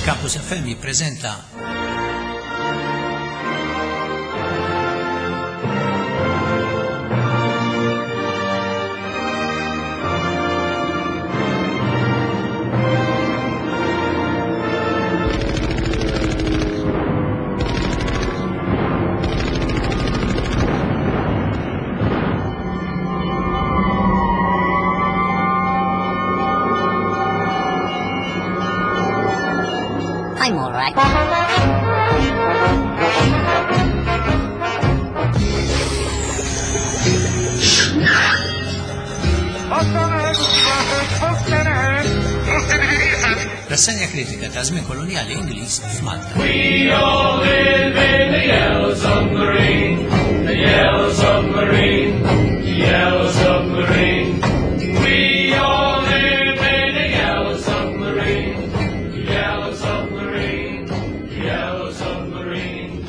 Campus FM jippreżenta I'm all right. Rassenja kritika ta' żmien kolonjali Ingliż f'Malta. We all live in the yellow submarine, the yellow submarine, the yellow submarine. We all live in the yellow submarine, the yellow submarine, the yellow submarine.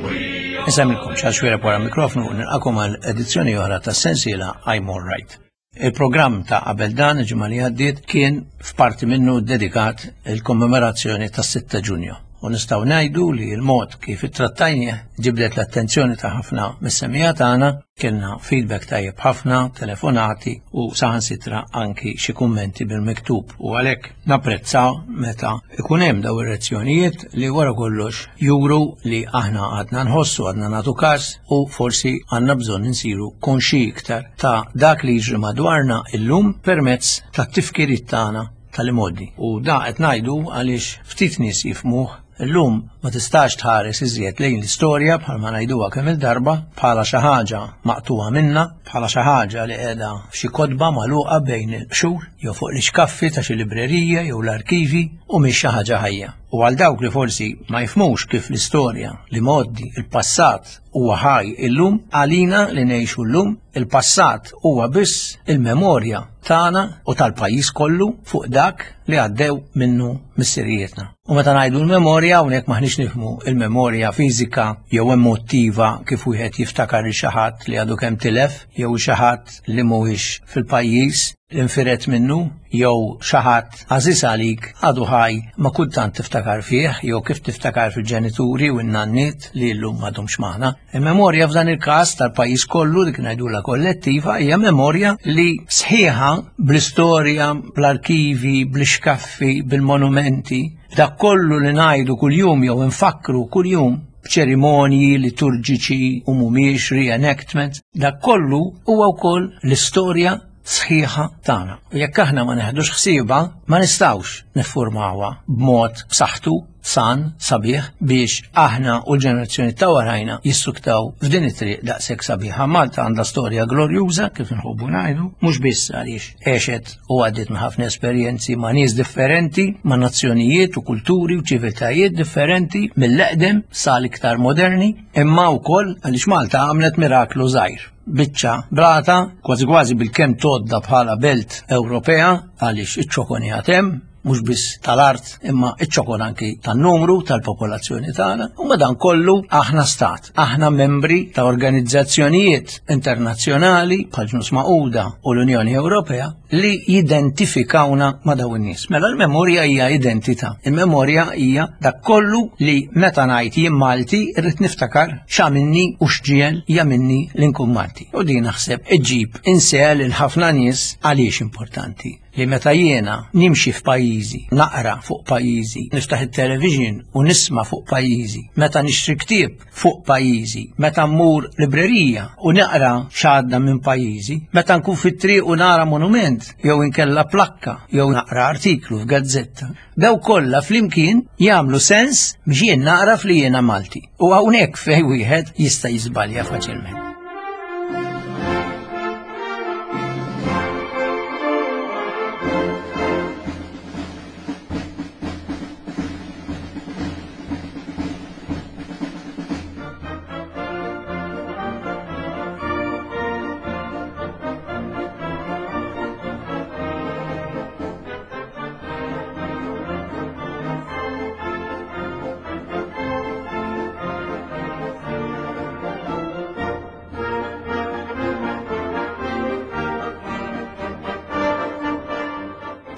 We all Nsemilkom xal xwira wara mikrofonu u nilqakom għal edizzjoni oħra ta' sensiela I'm All Right. Il-programm ta' qabel dan il-ġimgħa li għaddiet kien f'parti minnu dedikat il-kommemorazzjoni tas-6 Ġunju. U nistgħu ngħidu li l-mod kif ittrattajnieh ġibdet l-attenzjoni ta' ħafna mis-semija tagħna, kellna feedback tajjeb ħafna, telefonati u saħansitra anki xi kummenti bil-miktub. U għalhekk napprezzaw meta ikun hemm daw ir-reazzjonijiet li wara kollox juru li aħna għadna nħossu, għadna nagħtu każ u forsi għandna bżonn insiru konxi iktar ta' dak li jiġri madwarna illum permezz tat-tifkiriet tagħna tal-imgħoddi. U da qed ngħidu għaliex ftit nies jifhmuh illum ma tistax tħares iżjed lejn l-istorja bħalma ngħiduha kemm il-darba bħala xi ħaġa maqtuha minna, bħala xi ħaġa li qiegħda f'xi kotba magħluqa bejn il-qxur jew fuq l-ixkaffi ta' xi librerija jew l-arkivi u mhix xi ħaġa ħajja. U għal dawk li forsi ma jifhmux kif l-istorja, l-imgħoddi, il-passat huwa ħaj illum, għalina li ngħixu llum, il-passat huwa biss il-memorja tagħna u tal-pajjiż kollu fuq dak li għaddew minnu missirijietna. U meta ngħidu l-memorja hawnhekk maħniex nifhmu il-memorja fiżika jew emottiva kif wieħed jiftakar lil xi ħadd li għadu kemm tilef jew xi ħadd li mhuwiex fil-pajjiż li nfiret minnu jew xi ħadd għażiż għalik għadu ħaj ma kultant tiftakar fih jew kif tiftakar fil-ġenituri u n-nanniet li llum m'għadhomx magħna. Il-memorja f'dan il-każ tal-pajjiż kollu dik ngħidulha kollettiva hija memorja li sħiħa bl-istorja, bl-arkivi, bl-ixkaffi, bil-monumenti, dak kollu li ngħidu kuljum jew infakkru kuljum b'ċerimonji liturġiċi u mhumiex reenactments, dak kollu huwa wkoll l-istorja sħiħa tagħna. U jekk aħna ma neħdux ħsiebha, ma nistgħux niffurmawha b'mod b'saħħtu, san, sabiħ biex aħna u l-ġenerazzjoni ta' warajna jissuktaw f'din it-triq daqshekk sabiħa. Malta għandha storja glorjuża kif inħobbu ngħidu, mhux biss għaliex għexet u għaddiet minn ħafna esperjenzi ma' nies differenti, ma' nazzjonijiet u kulturi u ċiviltajiet differenti mill-eqdem sal-iktar moderni, imma wkoll għaliex Malta għamlet miraklu żgħir. Biċċa blata, kważi kważi bil-kemm tgħodda bħala belt Ewropea għaliex iċ-ċokon hemm, mhux biss tal-art imma iċ-ċokon anki tan-numru tal-popolazzjoni tagħna, u madan kollu aħna stat, aħna membri ta' organizzazzjonijiet internazzjonali bħal Ġnus Magħquda u l-Unjoni Ewropea li jidentifikawna ma' dawn in-nies. Mela l-memorja hija identità. Il-memorja hija dak kollu li meta ngħid jien Malti irrid niftakar x'għamilni u x'ġiegħel jagħmilni li nkun Malti. U din naħseb iġġib insel lil ħafna nies għaliex importanti li meta jiena nimxi f'pajjiżi, naqra fuq pajjiżi, niftaħ it-television u nisma' fuq pajjiżi, meta nixtri ktieb fuq pajjiżi, meta mmur librerija u naqra x'għadda minn pajjiżi, meta nkun fit-triq u nara monument jew inkella plakka jew naqra artiklu f'gazzetta. Daw kollha flimkien jagħmlu sens biex jien naqra li jiena Malti. U hawnhekk fejn wieħed jista' jiżbalja faċilment.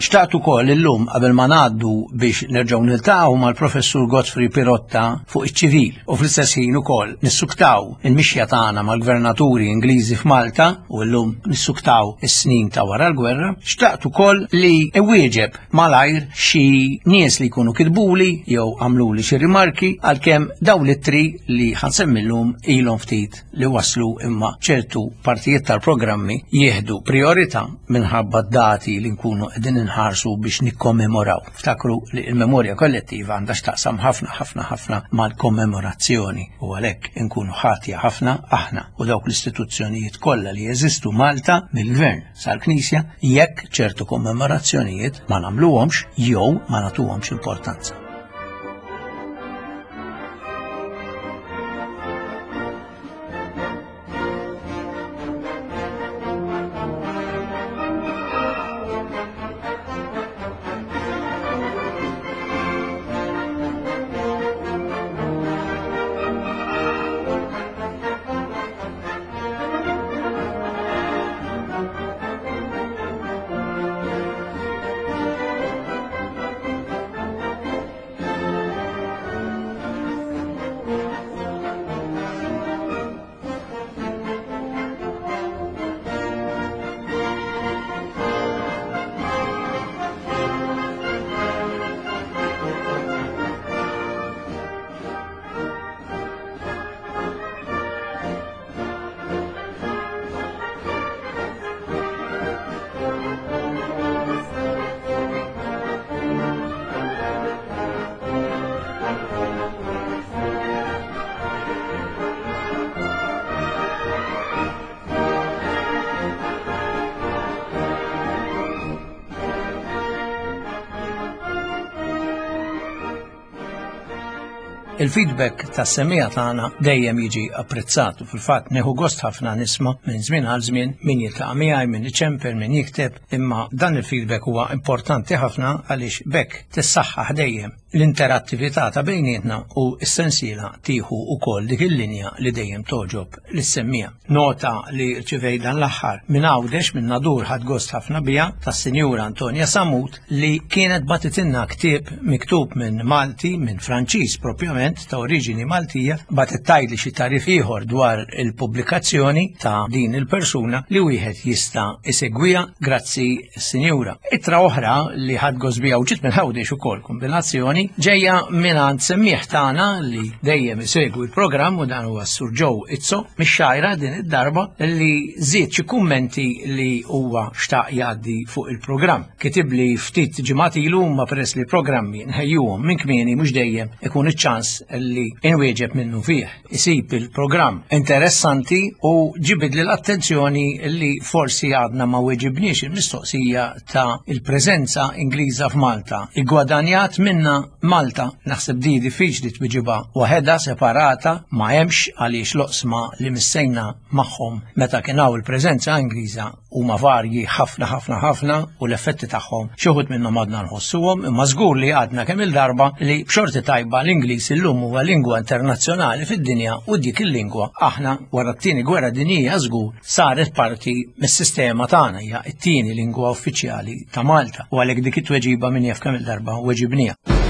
Xtaqt ukoll illum qabel ma ngħaddu biex nerġgħu niltaqgħu mal-Professur Godfrey Pirotta fuq iċ-ċivil u fl-istess ħin ukoll nissuktaw il-mixja tagħna mal-gvernaturi Ingliżi f'Malta u llum nissuktaw is-snin ta' wara l-gwerra, xtaqt ukoll li iwieġeb malajr xi nies li jkunu kitbuli jew għamluli xi rimarki għalkemm dawn l-ittri li ħansemmi llum ilhom ftit li waslu imma ċertu partijiet tal-programmi jieħdu priorità minħabba dati li nkunu qegħdin inħarsu biex nikkommemoraw. Ftakru li l-memorja kollettiva għandha x'taqsam ħafna ħafna ħafna mal-kommemorazzjoni u għalhekk inkunu ħatja ħafna aħna u dawk l-istituzzjonijiet kollha li jeżistu Malta mill-gvern sal-Knisja jekk ċertu kommemorazzjonijiet ma nagħmluhomx jew ma nagħtuhomx importanza. Il-feedback tas-semmiegħa tagħna dejjem jiġi apprezzat u fil-fatt neħu gost ħafna nisma' minn żmien għal żmien min jiltaqa' miegħi, min iċempel, min jikteb, imma dan il-feedback huwa importanti ħafna għaliex bekk tissaħħaħ dejjem l-interattività ta' bejnietna u s-sensiela tieħu wkoll dik il-linja li dejjem togħġob lis-semmiegħa. Nota li rċivejt dan l-aħħar minn Għawdex minn Nadur ħadt gost ħafna biha tas-Sinjura Antonia Samut li kienet bagħtitilna ktieb miktub minn Malti, minn Franċiż propjament ta' oriġini Maltija, bagħtet tgħidli xi tagħrif ieħor dwar il-pubblikazzjoni ta' din il-persuna li wieħed jista' isegwiha grazzi Sinjura. Ittra oħra li ħadt gost biha u ġiet minn Għawdex ukoll kombinazzjoni ġejja mingħand semmiegħ tagħna li dejjem isegwi l-programm u dan huwa s-Sur Joe Izzo mix-Xgħajra din id-darba li żied xi kummenti li huwa xtaq jgħaddi fuq il-programm. Kitibli ftit ġimgħat ilu imma peress li programmi nħejjuhom minn kmieni mhux dejjem ikun iċ-ċans li inwieġeb minnu fih. Isib il-programm interessanti u ġibidli l-attenzjoni li forsi għadna ma weġibniex il-mistoqsija ta' il-preżenza Ingliża f'Malta. Igwadanjat minna Malta, naħseb di diffiċli twiġibha waħedha separata ma hemmx għaliex l-oqsma li missejna magħhom meta kien hawn il-preżenza Ingliża huma varji ħafna ħafna ħafna u l-effetti tagħhom xi wħud minnhom għadna nħossuhom imma żgur li għadna kemm il-darba li b'xorti tajba l-Ingliż illum huwa lingwa internazzjonali fid-dinja u dik il-lingwa aħna wara t-tieni gwerra dinjija żgur saret parti mis-sistema tagħna hija t-tieni lingwa uffiċjali ta' Malta u għalhekk dik it-tweġiba min jaf kemm il-darba weġibniha.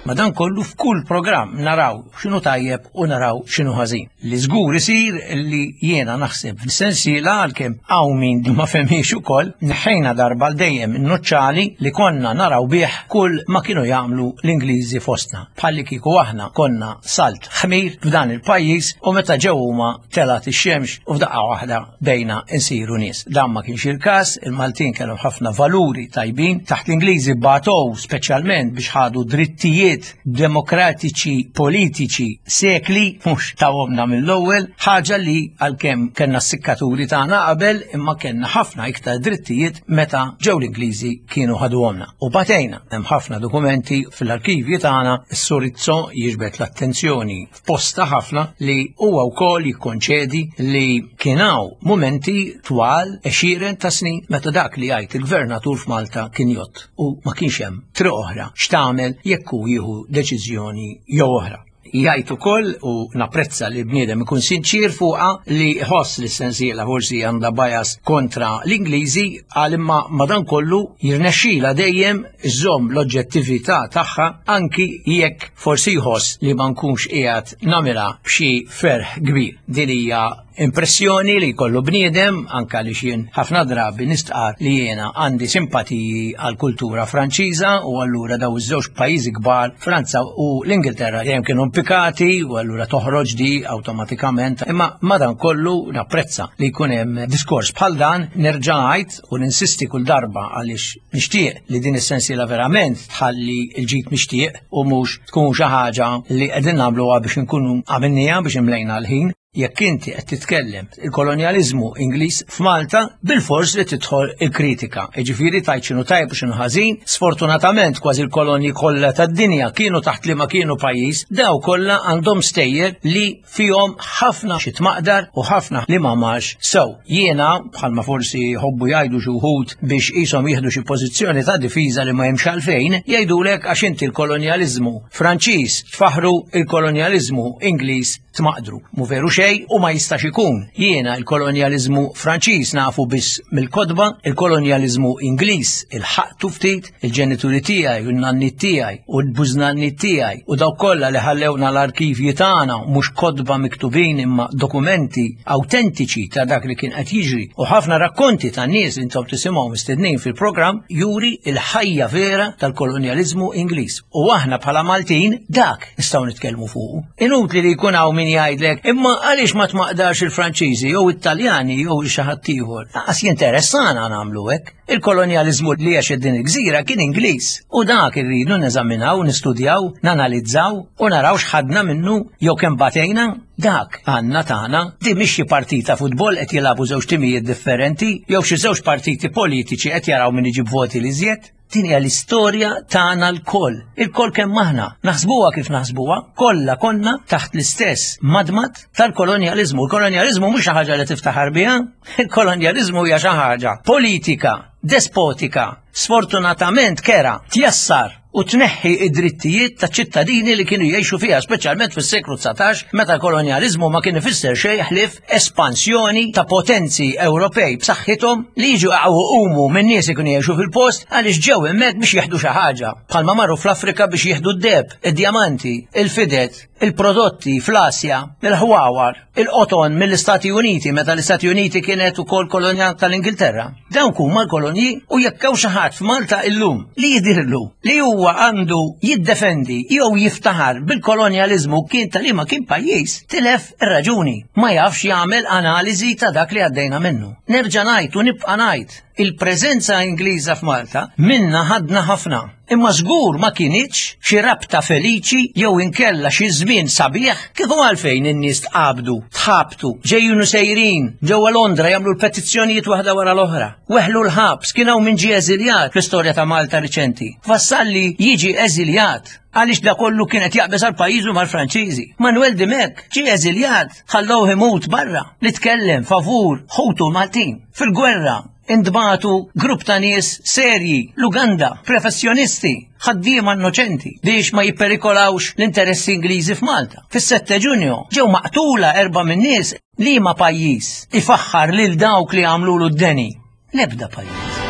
Madankollu f'kull programm naraw x'inhu tajjeb u naraw x'inhu ħażin. Li żgur isir li jiena naħseb f'sensiela għalkemm hawn min ma fehmiex ukoll, neħħejna darba għal dejjem in-nuċċali li konna naraw bih kull ma kienu jagħmlu l-Ingliżi fostna. Bħalli kieku aħna konna salt ħmir f'dan il-pajjiż u meta ġew huma telgħet ix-xemx u f'daqqa waħda bejna nsiru nies. Dan ma kienx il-każ, il-Maltin kellhom ħafna valuri tajbin, taħt l-Ingliżi batow speċjalment biex ħadu drittijiet demokratiċi politiċi sekli mhux tawhomna mill-ewwel, ħaġa li għalkemm kellna s-sikkaturi tagħna qabel imma kellna ħafna iktar drittijiet meta ġew l-Ingliżi kienu ħaduhomna. U batejna hemm ħafna dokumenti fil-arkivji tagħna, is-Sur Izzo jiġbed l-attenzjoni f'posta ħafna li huwa wkoll jikkonċedi li kien hawn mumenti twal għexieren ta' snin meta dak li jgħid il-gvernatur f'Malta kien jgħodd u ma kienx hemm triq oħra x'tagħmel jekk hu jieħu deċiżjoni jew oħra. Jgħid ukoll u napprezza li bniedem ikun sinċir fuqha li ħoss li s-sensiela forsi għandha bias kontra l-Ingliżi għal imma madankollu jirnexxila dejjem iżżomm l-oġġettività tagħha anki jekk forsi jħoss li ma nkunx qiegħed nagħmilha b'xi ferħ kbir. Din hija impressjoni li jkollu bniedem anka li xien ħafna drabi nistqar li jiena għandi simpatiji għal kultura Franċiża u allura daw iż-żewġ pajjiżi kbar Franza u l-Ingilterra dejjem kienu mpikati u allura toħroġ di awtomatikament. Imma madankollu napprezza li jkun hemm diskors bħal dan nerġa' ngħid u ninsisti kull darba għaliex nixtieq li din is-sensiela verament tħalli l-ġid mixtieq u mhux tkun xi ħaġa li qegħdin nagħmluha biex inkunu għamilniha biex imlejna l-ħin. Jekk inti qed titkellem il-kolonjaliżmu Ingliż f'Malta, bilfors li tidħol il-kritika. Jiġifieri tgħid x'inhu tajjeb u x'inhu ħażin. Sfortunatament kważi l-kolonji kollha tad-dinja kienu taħt liema kienu pajjiż, daw kollha għandhom stejjer li fihom ħafna xi tmaqdar u ħafna li ma marx sew. Jiena, bħalma forsi jħobbu jgħidu xi wħud biex qishom jieħdu xi pożizzjoni ta' difiża li ma hemmx għalfejn, jgħidulek għax inti l-kolonjaliżmu Franċiż tfaħħru, il-kolonjaliżmu Ingliż tmaqdru. Mu veru xejn u ma jistax ikun. Jiena il-kolonjaliżmu Franċiż nafu biss mill-kotba, il-kolonjaliżmu Ingliż ilħaqtu ftit, il-ġenituri tiegħi u n-nanniet tiegħi u l-bużnanniet tiegħi u dawk kollha li ħallewna l-arkivji tagħna mhux kotba miktubin imma dokumenti awtentiċi ta' dak li kien qed jiġri u ħafna rakkonti ta' nies li intom tisimgħu mistednin fil-programm juri il-ħajja vera tal-kolonjaliżmu Ingliż. U aħna bħala Maltin dak nistgħu nitkellmu fuqu. Inutli li jkun hawn min jgħidlek, imma għaliex ma tmaqdarx il-Franċiżi jew it-Taljani jew xi ħadd ieħor. Lanqas jinteressana nagħmlu hekk. Il-kolonjaliżmu li għex din il-gżira kien Ingliż u dak irridu neżaminaw, nistudjaw, nanalizzaw u naraw x'ħadna minnu jew kemm batejna. Dak għandna tagħna. Din mhix xi partita futbol qed jilagħbu żewġ timijiet differenti jew xi żewġ partiti politiċi qed jaraw min iġib voti l-iżjed. Din hija l-istorja tagħna lkoll. Ilkoll kemm aħna, naħsbuha kif naħsbuha, kollha konna taħt l-istess madmad tal-kolonjaliżmu. Il-kolonjaliżmu mhux xi ħaġa li tiftaħar biha, il-kolonjaliżmu hija xi ħaġa politika, despotika, sfortunatament kera, tjassar u tneħħi id-drittijiet ta' ċittadini li kienu jgħixu fiha, speċjalment fis-seklu 19 meta l-kolonjaliżmu ma kien ifisser xejn ħlief espansjoni ta' potenzi Ewropej b'saħħithom li jiġu umu minn nies ikunu jgħixu fil-post għaliex ġew hemmhekk biex jieħdu xi ħaġa. Bħalma marru fl-Afrika biex jieħdu d-deheb, id-djamanti, il-fidet, il-prodotti fl-Asja, il-ħwawar, il-qoton mill-Istati Uniti meta l-Istati Uniti kienet ukoll kolonja tal-Ingilterra. Dawk huma l-kolonji u jekk hawn xi ħadd f'Malta illum li jidhirlu li huwa għandu jiddefendi jew jiftaħar bil-kolonjaliżmu kien ta' liema kien pajjiż, tilef ir-raġuni. Ma jafx jagħmel analiżi ta' dak li għaddejna minnu. Nerġa' ngħid u nibqa' ngħid, il-preżenza Ingliża f'Malta minna ħadna ħafna. Imma żgur ma kinitx xi rabta feliċi jew inkella xi żmien sabiħ kieku għalfejn in-nies tqabdu, tħabtu, ġejjin u sejrin ġewwa Londra jagħmlu l-petizzjonijiet waħda wara l-oħra. Weħlu l-ħabs, kien hawn min ġie eżiljat fl-istorja ta' Malta riċenti. Vassalli jiġi eżiljat għaliex da kollu kien qed jaqbeż għal pajjiżu mal-Franċiżi. Manuel Dimech ġie eżiljat, ħallewh imut barra li tkellem favur ħutu l-Maltin. Fil-gwerra Intbagħtu grupp ta' nies serji l-Uganda, professjonisti, ħaddiema innoċenti biex ma jipperikolawx l-interessi Ingliżi f'Malta. Fis-7 Ġunju ġew maqtula erba' min-nies liema pajjiż ifaħħar lil dawk li għamlulu d-deni. L-ebda pajjiż.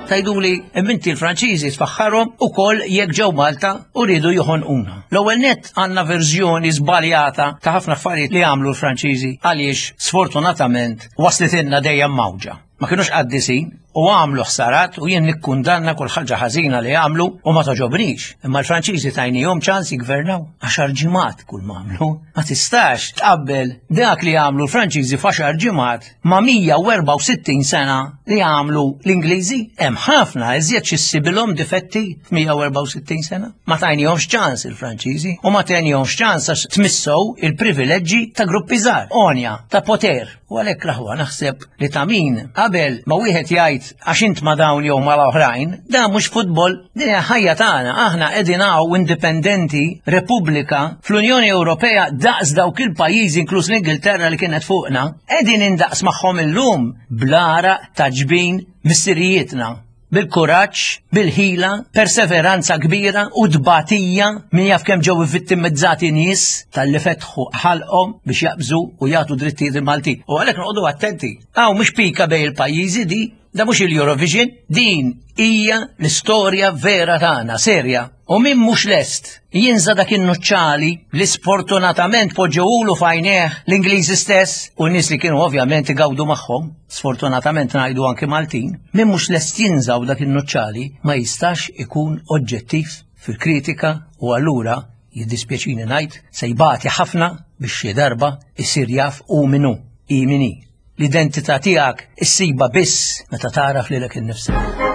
Tgħiduli, imma inti l-Franċiżi tfaħħarhom ukoll jekk ġew Malta u riedu joħonquna. L-ewwel nett għandna verżjoni żbaljata ta' ħafna affarijiet li għamlu l-Franċiżi għaliex sfortunatament waslitilna dejjem mawġa. Ma kinux qaddisin u għamlu ħsarat u jien nikkundanna kull ħaġa ħażina li għamlu u ma toġobnix. Imma l-Franċiżi tajnihom ċans jiggvernaw għaxar ġimgħat kull ma għamlu. Ma tistax tqabbel dak li għamlu l-Franċiżi f'għaxar ġimgħat ma' 164 sena li għamlu l-Ingliżi, hemm ħafna iżjed xi ssibilhom difetti f'164 sena. Ma tajnihomx ċans il-Franċiżi u ma tajnihomx ċans għax tmissew il-privileġġi ta' gruppi żgħar, għonja, ta' poter. U għalhekk l-aħwa naħseb li ta' min qabel ma wieħed jgħid tgħid għax int ma dawn jew ma l-oħrajn, dan mhux futbol, din hija ħajja tagħna. Aħna qegħdin hawn indipendenti, Repubblika, fl-Unjoni Ewropea daqs dawk il-pajjiżi inkluż l-Ingilterra li kienet fuqna, qegħdin indaqs magħhom illum bl-għaraq ta' ġbin missirijietna bil-kuraġġ, bil-ħila, perseveranza kbira u tbatija min jaf kemm ġew vittimizzati nies talli fetħu ħalqhom biex jaqbżu u jagħtu drittijiet il-Maltin. U għalhekk noqogħdu attenti. Hawn mhux pika bejn il-pajjiżi di, da mhux il-Eurovision, din hija l-istorja vera tagħna, serja. U min mhux lest jinża dak in-nuċċali li sfortunatament poġġewulu f'għajnejh l-Ingliżi stess u n-nies li kienu ovvjament igawdu magħhom, sfortunatament ngħidu anki Maltin, min mhux lest jinżaw dak in-nuċċali ma jistax ikun oġġettiv fil-kritika u allura jiddispjaċini ngħid se jbati ħafna biex xi darba jsir jaf hu min hu, hi min hi. L-identità tiegħek issibha biss meta tagħraf lilek innifsek.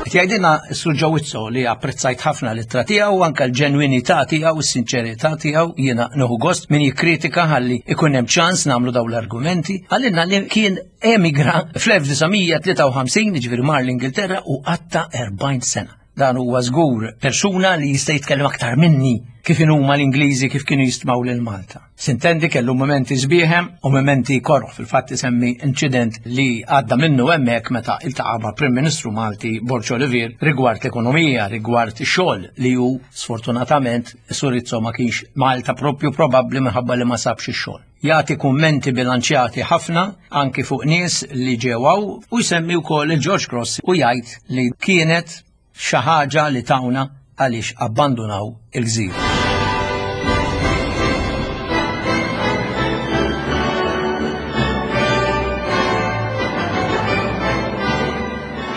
Qed jgħidilna s-Sur Ġawizzo li apprezzajt ħafna l-ittra tiegħu anke l-ġenwinità tiegħu, is-sinċerità tiegħu, jiena nieħu gost min jikkritika ħalli ikun hemm ċans nagħmlu dawn l-argumenti. Għalilna li kien emigra fl-1953, jiġifieri mar l-Ingilterra u qatta 40 sena. Dan huwa żgur persuna li jista' jitkellem aktar minni kif huma l-Ingliżi kif kienu jistmaw lil Malta. Sintendi kellu momenti sbieħem u momenti korroħ fil-fatt isemmi inċident li għadda minnu hemmhekk meta iltaqa' ma' Prim Ministru Malti Borg Olivier rigward l-ekonomija, rigward ix-xogħol li hu sfortunatament Surizzo ma kienx Malta propju probabbli minħabba li ma sabx ix-xogħol. Jagħti kummenti bilanċjati ħafna anki fuq nies li ġew hawn u jsemmi wkoll il-George Cross u jgħid li kienet xi ħaġa li tawna għaliex abbandunaw il-gżira.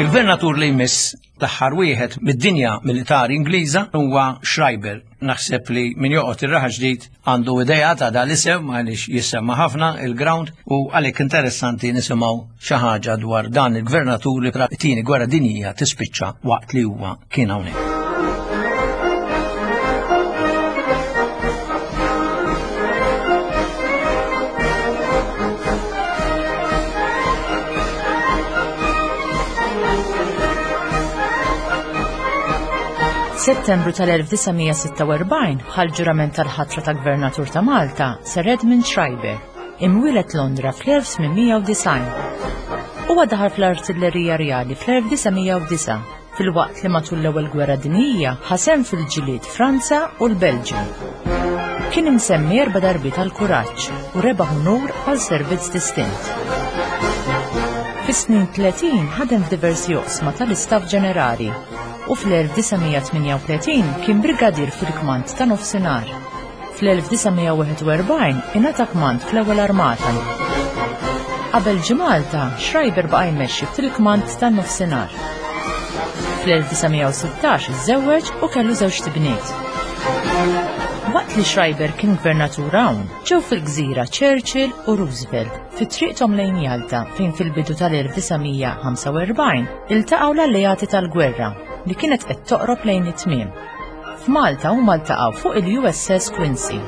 Il-gvernatur li jmiss L-aħħar wieħed mid-dinja militari Ingliża huwa Schreiber. Naħseb li min joqgħod ir-Raħal Ġdid għandu idea ta' dan l-isem għaliex jissemma ħafna il-ground u għalhekk interessanti nisimgħu xi ħaġa dwar dan il-gvernatur li t-tieni gwerra dinjija tispiċċa waqt li huwa kien hawnhekk. Settembru tal-1946 ħa l-ġurament tal-ħatra ta' Gvernatur ta' Malta Sir Edmund Schreiber, imwieled Londra fl-1890. Huwa daħal fl-Artillerija Rjali fl-1909 filwaqt li matul l-Ewwel Gwerra Dinjija ħa sehem fil-ġlied Franza u l-Belġju. Kien imsemmi erba' darbiet għall-kuraġġ u rebaħ unur għal servizz distint. Fis-snin 30 ħadem f'diversi oqsma tal-Istaff Ġenerali u fl-1938 kien brigadier fil-kmand ta' Nofsinhar. Fl-1941 ingħata kmand fl-Ewwel Armata. Qabel ġie Malta, Schreiber baqa' jmexxi fil-kmand tan-Nofsinhar. Fl-1916 iżżewweġ u kellu żewġt ibniet. Waqt li Schreiber kien gvernatur hawn, ġew fil-gżira Churchill u Roosevelt fi triqthom lejn Jalta fejn fil-bidu tal-1945 iltaqgħu l-alleati tal-gwerra li kienet qed toqrob lejn it-tmiem. F'Malta huma ltaqgħu fuq il-USS Quincy.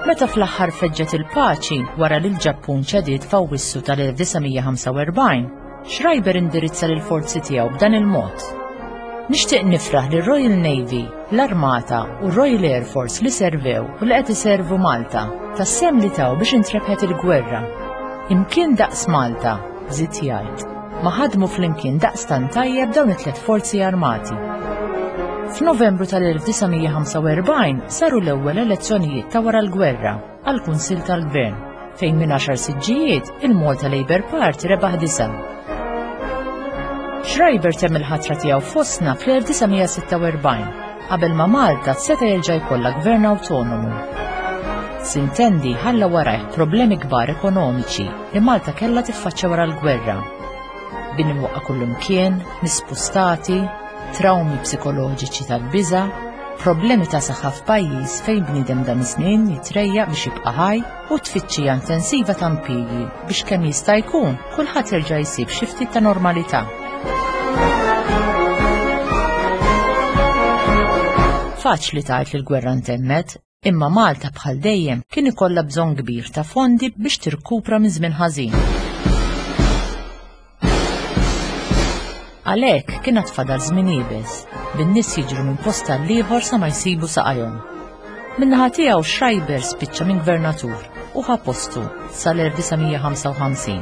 Meta fl-aħħar feġġet il-paċi wara li l-Ġappun ċediet f'Awwissu tal-1945, Schreiber indirizza lill-forzi tiegħu b'dan il-mod. Nixtieq nifraħ lir-Royal Navy, l-Armata u r-Royal Air Force li servew u li qed iservu Malta, tas-sehem li taw biex intrebħet il-gwerra. Imkien daqs Malta, żied jgħid. Ma ħadmu flimkien daqstant tajjeb dawn it-tliet forzi armati. F'Novembru tal-1945 saru l-ewwel elezzjonijiet ta' wara l-gwerra għall-Kunsill tal-Gvern, fejn minn għaxar siġġijiet il-Malta Labour Party rebaħ disgħa. Schreiber temm il-ħatra tiegħu fostna fl-1946 qabel ma Malta seta' jerġa' jkollha gvern awtonomu. Sintendi ħalla warajh problemi kbar ekonomiċi li Malta kellha tiffaċċja wara l-gwerra. Bini mwaqqa' kullimkien, nies spustati, trawmi psikoloġiċi tal-biża', problemi ta' saħħa f'pajjiż fejn bniedem dan iż-żmien jitrejjaq biex jibqa' ħaj u tfittxija intensiva ta' impjiegi biex kemm jista' jkun kulħadd jerġa' jsib xi ftit ta' normalità. Faċli tgħid li l-gwerra ntemmet, Imma Malta bħal dejjem kien ikollha bżonn kbir ta' fondi biex tirkupra minn żmien ħażin. Għalhekk kien għad fadal żmien iebes, bin-nies jiġru minn post għal ieħor sa ma jsibu saqajhom. Min-naħa tiegħu Schreiber spiċċa minn gvernatur u ħa postu sal-1955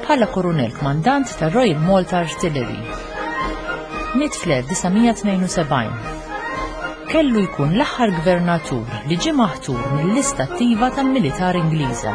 bħala kurunell kmandant tar-Royal Malta Artillery. Miet fl-1972. Kellu jkun l-aħħar gvernatur li ġie maħtur mill-lista attiva tal-militar Ingliża.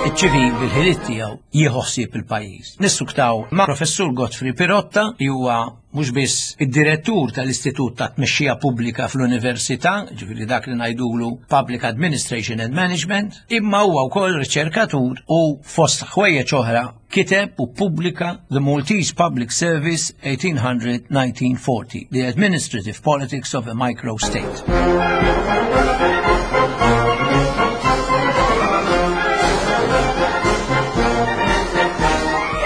Iċ-ċivil bil-ħiliet tiegħu jieħu ħsieb il-pajjiż. Nissuktaw ma' Professur Godfrey Pirotta li huwa mhux biss id-direttur tal-Istitut ta' Tmexxija Pubblika fl-Università, ġifieri dak li ngħidulu Public Administration and Management, imma huwa wkoll riċerkatur u fost ħwejjeġ oħra kiteb u ppubblika The Maltese Public Service 1800-1940, The Administrative Politics of a Microstate.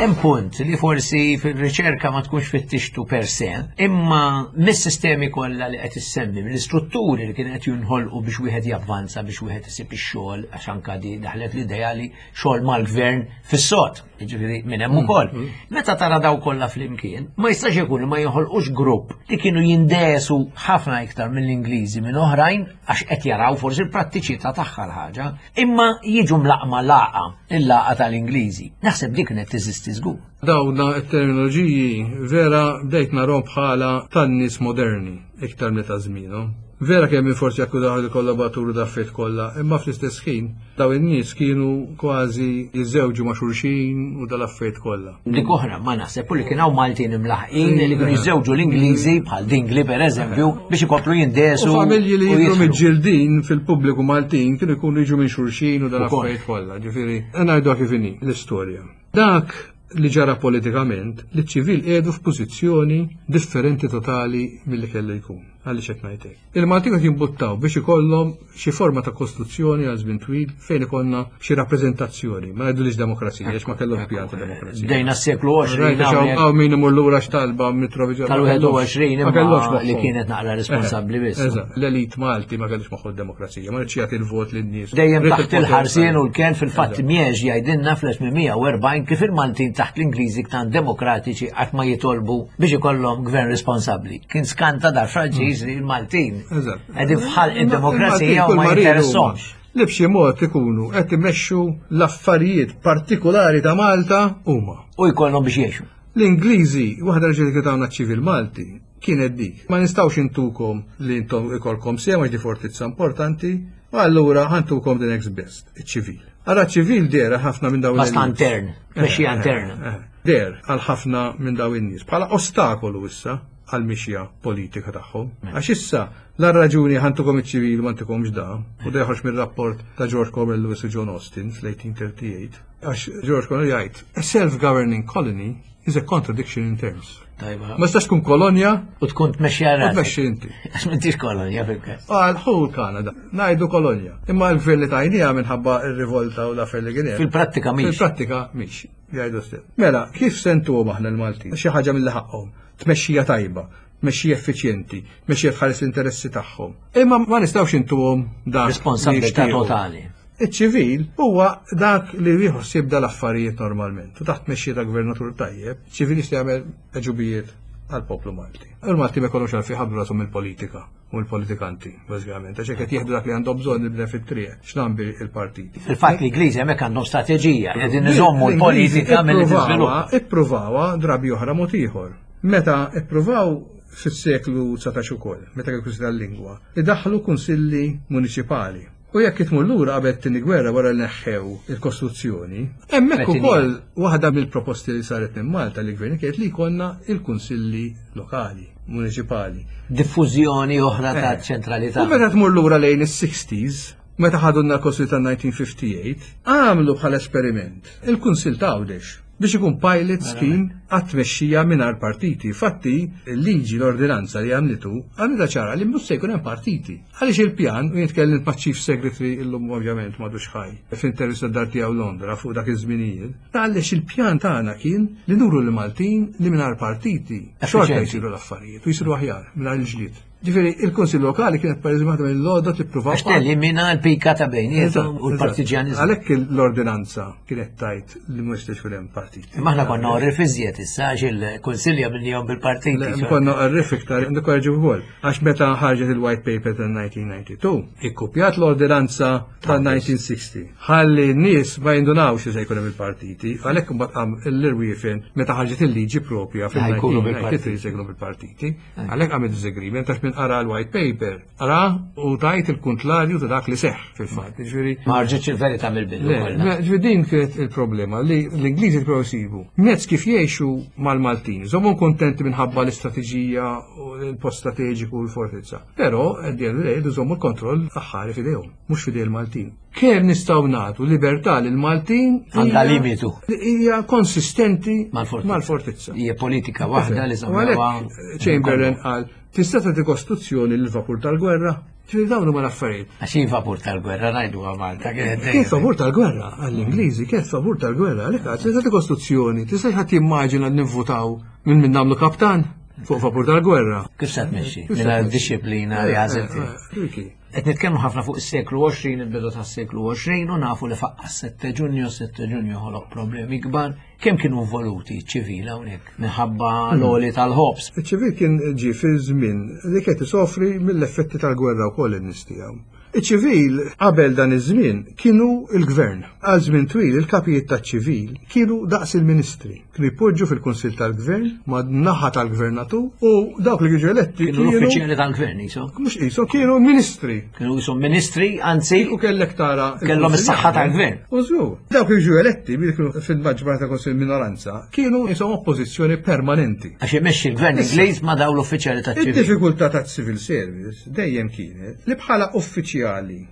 Hemm punt li forsi fil-riċerka ma tkunx fittixtu per se, imma mis-sistemi kollha li qed issemmi, mill-istrutturi li kien qed jinħolqu biex wieħed javvanza biex wieħed isib ix-xogħol għax anka di daħlet l-idea li xogħol mal-gvern fis-sod, jiġifieri minn hemm ukoll. Mm, mm. Meta tara daw kollha flimkien, ma jistax ikun li ma jinħolqux grupp li kienu jindesu ħafna iktar mill-Ingliżi minn oħrajn għax qed jaraw forsi l-prattiċità tagħha l-ħaġa, imma jiġu mlaqma laqa, il-laqa tal-Ingliżi. Naħseb dik kienet teżisti żgur. Dawna t-terminoloġiji vera bdejt narhom bħala tan-nies moderni iktar minn ta' żmienhom. Vera kemm min forsi akkużaw il-kollaboraturi da' kollha, imma fl-istess ħin daw in-nies kienu kważi jiżżewġu ma' xulxin u dal-affarijiet kollha. Dik oħra ma naħseb li kien hawn Maltin imlaħqin li kienu jiżżewġu l-Ingliżi bħal Dingli pereżempju biex ikomplu jindesu. U familji li jidhru miġġieldin fil-pubbliku Maltin kienu jkunu jiġu minn xulxin u dal-affarijiet kollha. Ġifieri, ngħiduha kif inhi l-istorja. Dak li ġara politikament, li ċ-ċivil qiegħdu f'pożizzjoni differenti totali milli kellu jkun. Għaliex qed ngħid hekk? Il-Maltin qed jimbuttaw biex ikollhom xi forma ta' kostituzzjoni għal żmien twil fejn ikollna xi rappreżentazzjoni, ma ngħidulix demokrazija, għax ma kellhomx pjan ta' demokrazija. Bdejna s-seklu 20. Hawn min imur lura x'talba Mitrovic. Tal-21 imma li kienet naqra responsabbli biss. Eżatt, l-elit Malti ma kellux moħħu d-demokrazija, ma rridx jagħti l-vot lin-nies. Dejjem taħt il-ħarsien u l-ken fil-fatt Miex jgħidilna fl-1840 kif il-Maltin taħt l-Ingliżi ktan demokratiċi qatt ma jitolbu biex ikollhom gvern responsabbli. Kien skanta dar Franċiż li l-Maltin. Qegħdin fħal id-demokrazija u ma jinteressahomx. Li b'xi mod ikunu qed imexxu l-affarijiet partikolari ta' Malta huma. U jkollhom biex jgħixu. L-Ingliżi, waħda raġuni kif tawna ċ-ċivil Malti, kienet dik. Ma nistgħux intukom li intom ikolkom sehem għax di fortizza importanti, u allura ħantukom the next best, iċ-ċivil. Ara ċ-ċivil dehra ħafna minn dawn. Basta intern, mexxija interna. Deher għal ħafna minn dawn in-nies bħala ostakolu issa għall-mixja politika tagħhom. Għax issa la raġuni ħantukom iċ-ċivil ma ntikomx da, u da joħroġ mir-rapport ta' George Cornwell Lewis u John Austin fl-1838, għax George Cornwell jgħid, a self-governing colony is a contradiction in terms. Tajba. Ma tistax tkun kolonja u tkun tmexxi għal U tmexxi inti. Għax m'intix kolonja fil-każ. Għal ħu l-Kanada, ngħidu kolonja. Imma l-gvern li tajnija minħabba r-rivolta u l-affer li kien hemm. Fil-prattika mhix. Fil-prattika mhix. Jgħidu stess. Mela, kif sentuhom aħna l-Maltin? Xi ħaġa mill ħaqhom. Tmexxija tajba, tmexxija effiċjenti, tmexxija tħares l-interessi tagħhom. Imma ma nistgħux intuhom dak. Responsabilità totali. Iċ-ċivil huwa dak li jieħu ħsieb dal-affarijiet normalment. U taħt tmexxija ta' gvernatur tajjeb, ċivil jista' jagħmel għeġubijiet għall-poplu Malti. Il-Malti ma jkollhomx għalfejn ħablu rashom il-politika u l-politikanti, bażikament, għax hekk qed jieħdu dak li għandhom bżonn il-bnedmin fit-triq, x'nambi il-partiti. Fil-fatt l-Ingliżi hemmhekk għandhom strateġija, qegħdin iżommu l-politika milli tiżviluppa. Ippruvawa drabi oħra mod ieħor. Meta ippruvaw fis-seklu 19 ukoll, meta kien kunsill tal-lingwa, idaħħlu kunsilli muniċipali. U jekk tmur lura qabel it-tieni gwerra wara li neħħew il-Kostituzzjoni, hemmhekk ukoll waħda mill-proposti li saret minn Malta li gvern kienet li jkollna il-kunsilli lokali, muniċipali. Diffużjoni oħra ta' eh. ċentralità. U meta tmur lura lejn is-60s, meta ħadunna l-Kostituzzjoni ta' 1958, għamlu bħala esperiment il-Kunsill ta' Għawdex. Biex ikun pilot scheme għat-tmexxija mingħajr partiti. Fatti, il-liġi l-ordinanza li għamlitu għamlitha ċara li mhux se jkun hemm partiti. Għaliex il-pjan, u jien tkellimt ma' Chief Secretary illum ovvjament m'għadux ħaj, f'intervista d-dar tiegħu Londra fuq dak iż-żminijiet, ta' għaliex il-pjan tagħna kien li nuru lill-Maltin li mingħajr partiti xorta jsiru l-affarijiet u jsiru aħjar mingħajr il-ġlied. Ġifieri, il-Kunsill Lokali kienet pereżempju waħda mill-għodod li ppruvaw. Għax telimina l-pika ta' bejniethom u l-partiġjaniżmu. Għalhekk l-ordinanza kienet tajt li ma jistax ikun hemm partiti. Imma aħna konna orrif iżjed issa għax il-Kunsilja minnihom bil-partiti. Konna orrif iktar, nikkorreġi wkoll. Għax meta ħarġet il-White Paper tal-1992, ikkupjat l-ordinanza tal-1960. Ħalli n-nies ma jindunawx li se jkun hemm il-partiti, għalhekk imbagħad qam l-irwiefen meta ħarġet il-liġi propja fil-1993 se jkunu bil-partiti. Għalhekk għamil disagreement għax minn qara l-white paper, qara u tajt il-kuntlarju ta' dak li seħħ fil-fatt. Ġifieri Ma ħarġitx il-verità mill-bidu. Ġifieri din kienet il-problema li l-Ingliżi provaw jsibu mezz kif jgħixu mal-Maltin. Żommhom kontenti minħabba l-istrateġija u l-post strateġiku u l-fortizza. Però at the end of the day jżommu l-kontroll aħħari f'idejhom, mhux f'idej il-Maltin. Kemm nistgħu nagħtu libertà lil Maltin għandha limitu. Li hija konsistenti mal-fortizza. Hija politika waħda li żammewha. Chamberlain qal tista' tagħti kostituzzjoni lil vapur tal-gwerra? Ġifieri dawn huma l-affarijiet. Għax hi vapur tal-gwerra ngħidu Malta kienet Kien favur tal-gwerra għall-Ingliżi, kien favur tal-gwerra, għalhekk qal tista' tagħti kostituzzjoni, tista' ħadd jimmaġina li nivvutaw minn min nagħmlu kaptan fuq vapur tal-gwerra. Kif se tmexxi? Mingħajr disciplina li għażilt. Eh, eh, eh, Qed nitkellmu ħafna fuq is-seklu 20, il-bidu tas-seklu 20 u nafu li faqqa 7 Ġunju, 7 Ġunju ħoloq problemi kbar. Kemm kienu involuti ċ-ċivil hawnhekk minħabba hmm. l-għoli tal-ħobż? Iċ-ċivil kien ġie fi żmien li kien isofri mill-effetti tal-gwerra wkoll in-nies tiegħu. Iċ-ċivil qabel dan iż-żmien kienu l-gvern. Għal żmien twil il-kapijiet taċ-ċivil kienu daqs il-ministri. Kienu jpoġġu fil-Kunsill tal-Gvern ma' naħa tal-gvernatur u dawk li jiġu eletti kienu l-uffiċjali tal-gvern jisom. Mhux qishom kienu ministri. Kienu jisom ministri, anzi. U kellek tara. Kellhom is-saħħa tal-gvern. U żgur. Dawk li jiġu eletti billi kienu fil-maġġoranza tal-Kunsill minoranza, kienu jisom oppożizzjoni permanenti. Għax imexxi l-gvern Ingliż ma' dawn l-uffiċjali taċ-ċivil. Id-diffikultà taċ-civil service dejjem kienet li bħala uffiċjali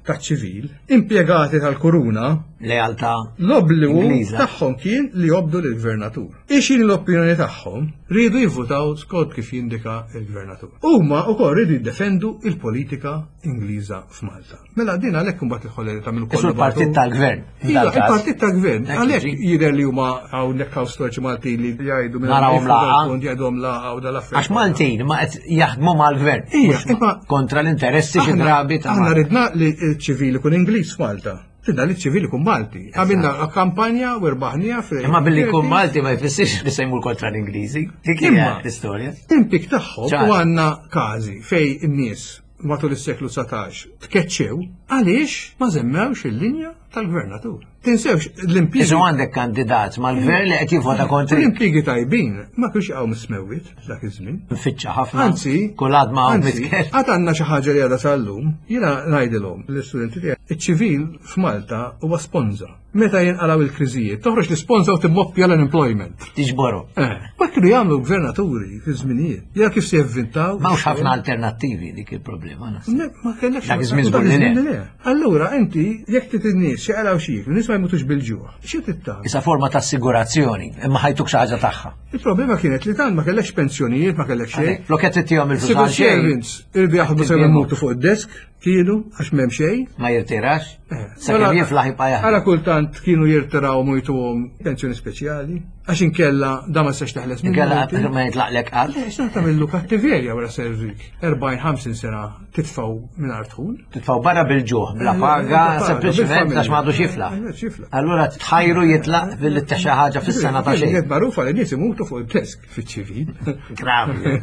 taċ-ċivil, impjegati tal-kuruna, lealtà L-obbligu tagħhom kien li jobdu lill-gvernatur. Ixin l-opinjoni tagħhom riedu jivvutaw skont kif jindika l-gvernatur. Huma wkoll riedu jiddefendu il-politika Ingliża f'Malta. Mela din għalhekk imbagħad il-ħolleri tagħmlu kollu. Il-partit tal-gvern. Il-partit tal-gvern. Għalhekk jidher li huma hawnhekk hawn storiċi Maltin li jgħidu minn narawhom laqgħa. Jgħidhom laqgħa u dal-affarijiet. Għax Maltin ma qed jaħdmu mal-gvern. Kontra l-interessi xi drabi ta' Aħna ridna li ċ-ċivili kun Ingliż f'Malta. Ridna li ċ-ċivili kun Malti. Għamilna kampanja u rbaħnija fil. Imma billi kun Malti ma jfissirx li se jmur kontra l-Ingliżi. Dik hija l-istorja. Impik tagħhom u għandna każi fej in-nies matul is-seklu 19 tkeċċew għaliex ma żemmewx il-linja tal-gvernatur. Tinsewx l-impjiegi. Isu għandek kandidat mal-gvern li qed jivvota kontri. L-impjiegi tajbin ma kienx jaqgħu mis-smewwiet dak iż-żmien. Nfittxa ħafna. Anzi, kulħadd ma hawn mitkellem. Għad għandna xi ħaġa li għadha sal-lum, jiena ngħidilhom l-istudenti tiegħi, iċ-ċivil f'Malta huwa sponża. Meta jinqalgħu il-kriżijiet, toħroġ l-isponża u timmoppja l-unemployment. Tiġboru. Eh, ma kienu jagħmlu gvernaturi fi żminijiet. Ja kif se jivvintaw. M'hawnx ħafna alternattivi dik il-problema. Ma kellekx. Dak iż-żmien żgur li le. Allura inti jekk trid in-nies xi qalaw xi jieklu, nies ma jmutux bil-ġuħ. Xi trid tagħmel? Isa forma ta' assigurazzjoni, imma ħajtuk xi ħaġa tagħha. Il-problema kienet li dan ma kellekx pensjonijiet, ma kellekx xejn. Flok qed ittihom il-flus Civil servants irdu jaħdmu sew imutu fuq id-desk, kienu għax m'hemm xejn. Ma jirtirax? Eh, Sakemm jiflaħ jibqa' jaħdem. Ara kultant kienu jirtiraw u jtuhom pensjoni speċjali, għax inkella da ma setax teħles minn. Inkella ma jitlaqlek qatt. Eh, x'taf tagħmillu kattiverja wara servik 40-50 sena titfgħu mingħajr dħul. Titfgħu barra bil-ġuħ, bla eh, paga, sempliċement għax m'għadux jiflaħ. Allura tħajru jitlaq billi xi ħaġa fis-sena ta' xejn. Kienet magħrufa li nies imutu fuq il-desk fiċ-ċivil. Gravi.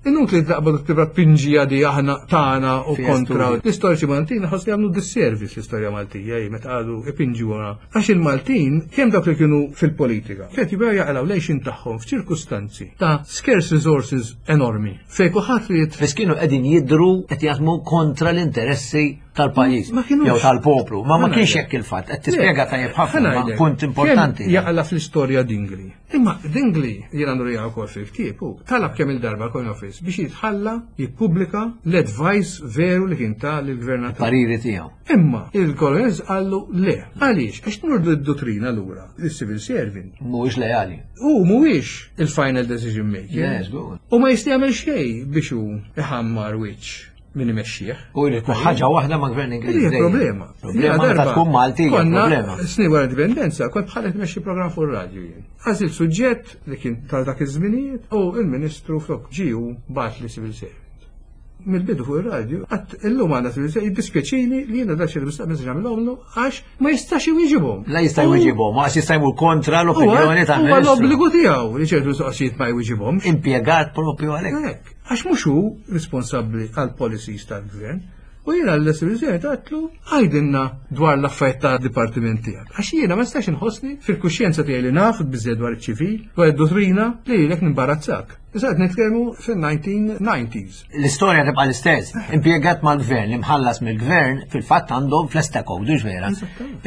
Inutli taqbad tibra pinġija di aħna tagħna u kontra. L-istoriċi Maltin ħoss li għamlu disservice l-istorja Maltija hi meta qalu ipinġuha. Għax il-Maltin kemm dawk li kienu fil-politika. Kienet jibgħu jaqilgħu l-għixien tagħhom f'ċirkustanzi ta' scarce resources enormi. Fejn kulħadd ried. Biss kienu qegħdin jidhru qed jaħdmu kontra l-interessi tal-pajjiż jew tal-poplu. Ma ma kienx hekk il-fatt, qed tispjega tajjeb ħafna punt importanti. Jaqla fl-istorja Dingli. Imma Dingli jiena nurija wkoll fil-ktieb u talab kemm il-darba l-Coin Office biex jitħalla jippubblika l-advice veru li kien ta' lill-gvernatur. Pariri tiegħu. Imma il-Colonels qallu le. Għaliex? Għax tmur d-dottrina lura, il-civil servant. Mhuwiex leali. U mhuwiex il-final decision maker. Yes, good. U ma jista' jagħmel xejn biex hu iħammar wiċċ min imexxih. U jrid tkun ħaġa waħda ma' gvern Ingliż. Hija problema. Problema meta tkun Malti hija problema. Snin wara indipendenza kont bħal qed imexxi programm fuq ir-radju jien. Għażilt suġġett li kien tal dak iż-żminijiet u l-Ministru flok ġiju bagħat li civil servant. Mill-bidu fuq ir-radju, għat illum għandna civil servant jiddispjaċini li jiena dak xi mistaqsi nagħmilhomlu għax ma jistax iwieġibhom. La jista' jwieġibhom, għax jista' jmur kontra l-opinjoni ta' Huwa l-obbligu tiegħu li ċertu mistoqsijiet ma jwieġibhomx. Impjegat propju għalhekk. Hekk, għax mhux hu responsabbli għal policies tal-gvern. U jiena l-President għatlu għajdinna dwar l-affarijiet ta' dipartiment tiegħek. Għax jiena ma nistax inħossni fil-kuxjenza tiegħi li naf biżżejjed dwar iċ-ċivil, dwar id-dottrina li lilek nimbarazzak. Issa qed nitkellmu fil-1990s. L-istorja tibqa' l-istess. Impjegat mal-gvern li mħallas mill-gvern fil-fatt għandhom fl-esta code, hux vera?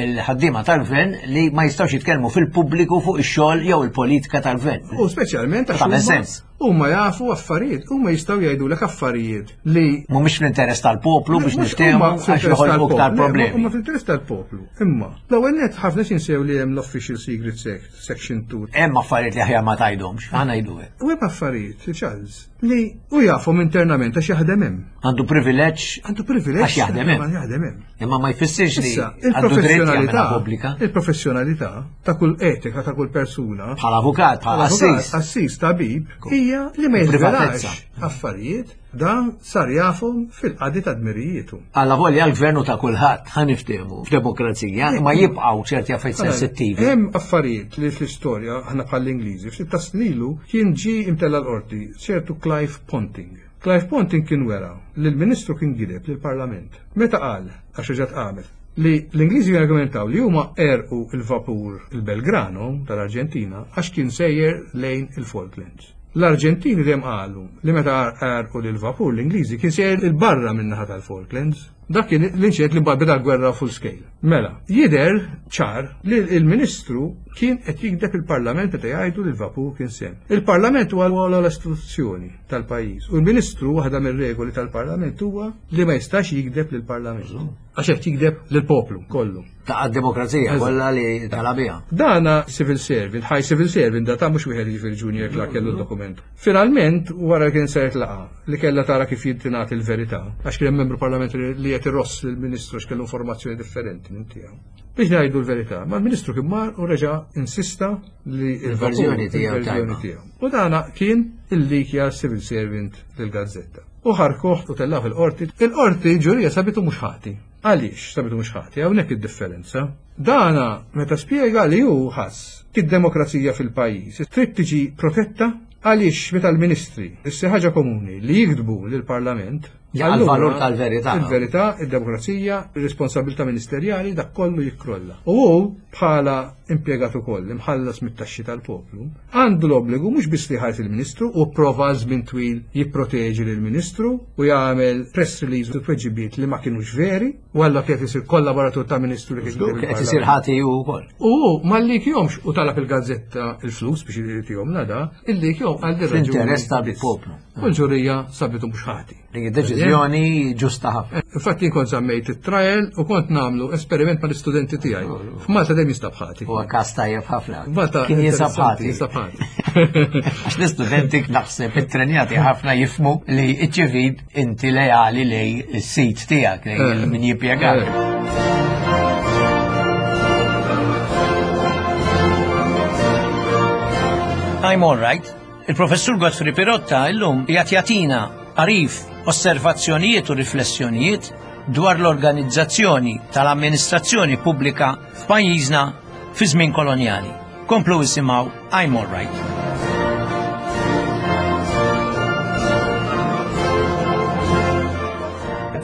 Il-ħaddiema tal-gvern li ma jistgħux jitkellmu fil-pubbliku fuq ix-xogħol jew il-politika tal-gvern. U speċjalment għax Tagħmel sens. Huma jafu affarijiet, huma jistgħu jgħidulek affarijiet li mhumiex fl-interess tal-poplu biex Mhux niftehmu huma għax fl-interess joħolqu tal-poplu, iktar le, problemi. Huma fl-interess tal-poplu. Imma l-ewwel nett ħafna x'insew li hemm l-Official Secrets Act, Section 2. Hemm affarijiet li aħjar ma tgħidhomx, ħa ngħidu hekk. U hemm affarijiet, Charles, li hu jafhom internament għax jaħdem hemm. Għandu privileġġ. Għandu privileġġ. Għax jaħdem hemm. Jaħdem hemm. Imma ma jfissirx li Issa, għandu dritt jagħmilha il-professjonalità, pubblika. il-professjonalità ta' kull etika ta' kull persuna Bħala avukat, bħala Avukat, assis. Assis tabib hija li ma jiżvelax Privatezza. affarijiet dan sar jafhom fil-qadi ta' dmirijietu. Alla volja l-gvernu ta' kulħadd ħa niftehmu f'demokrazija, imma jibqgħu ċerti affarijiet sensittivi. Hemm affarijiet li fl-istorja aħna bħall-Ingliżi ftit ta' snilu kien ġie imtella l-qorti ċertu Clive Ponting. Clive Ponting kien wera li l-Ministru kien gideb lill-Parlament. Meta qal, għax reġgħet qamet, li l-Ingliżi argumentaw li huma għerqu l-vapur il-Belgrano tal-Arġentina għax kien sejjer lejn il-Falklands. L-Arġentini dejjem qalu li meta għerqu lill-vapur l-Ingliżi kien sejjer 'il barra min-naħa tal-Falklands. Dak kien l-inċident li mbagħad beda l-gwerra full scale. Mela, jidher ċar li l-Ministru kien qed jigdeb il-Parlament meta jgħidu li l-vapur kien sehem. Il-Parlament huwa l-ogħla istituzzjoni tal-pajjiż u l-Ministru waħda mir-regoli tal-Parlament huwa li ma jistax jigdeb lill-Parlament. Għax qed jigdeb lill-poplu kollu. Ta' demokrazija kollha li talabija. Dana civil servant, high civil servant, da ta' mhux wieħed jiġifieri junior clerk kellu d-dokument. Finalment, wara li kien saret laqgħa li kellha tara kif jittingħat il-verità, għax kien hemm membru parlamentari li qed iross lill-Ministru għax kellu informazzjoni differenti minn tiegħu. Biex ngħidu l-verità, ma l-Ministru kien mar u reġa' insista li Il-verżjoni tiegħu il-verżjoni tajba. tiegħu. U dana kien il-likja civil servant lill-Gazzetta. U ħarkuh u tellgħu fil-qorti. Il-qorti ġurija sabitu mhux ħati. Għaliex sabitu mhux ħati? Hawnhekk id-differenza. Dana meta spjega li hu ħass id-demokrazija fil-pajjiż trid tiġi protetta għaliex meta l-ministri issir ħaġa komuni li jiktbu lill-Parlament Ja, allura għal-valur tal-verità. Il-verità, id-demokrazija, ir-responsabilità ministerjali, dak kollu jikkrolla. U hu bħala impjegat ukoll imħallas mit-taxxi tal-poplu, għandu l-obbligu mhux biss li jħares il-Ministru u pprova għal żmien twil jipproteġi lill-Ministru u jagħmel press release u tweġibiet li ma kinux veri, u allura kien qed isir kollaboratur ta' Ministru li kien Żgur, qed isir ħati hu wkoll. U hu ma llikjomx u talab il-gazzetta il-flus biex jtihom nada, illikjom għal din raġuni Fl-interess biss. tal-poplu. U l-ġurija sabitu mhux ħati. Dik deċiżjoni ġusta ħafna. Infatti jien kont żammejt it-trial u kont nagħmlu esperiment mal-istudenti tiegħi. F'Malta dejjem jinstab ħati. Huwa każ tajjeb ħafna. Malta Kien jinsab interessanti, ħati. Jinsab ħati. Għax l-istudenti naħseb ittrenjati ħafna jifmu li ċ-ċivil inti leali lej is-sit tiegħek, lej min jippjegak. I'm all right. Il-professur Godfrey Pirotta illum qiegħed jagħtina għarif, osservazzjonijiet u riflessjonijiet dwar l-organizzazzjoni tal-amministrazzjoni pubblika f'pajjiżna fi żmien kolonjali. Komplu isimgħu I'm all right.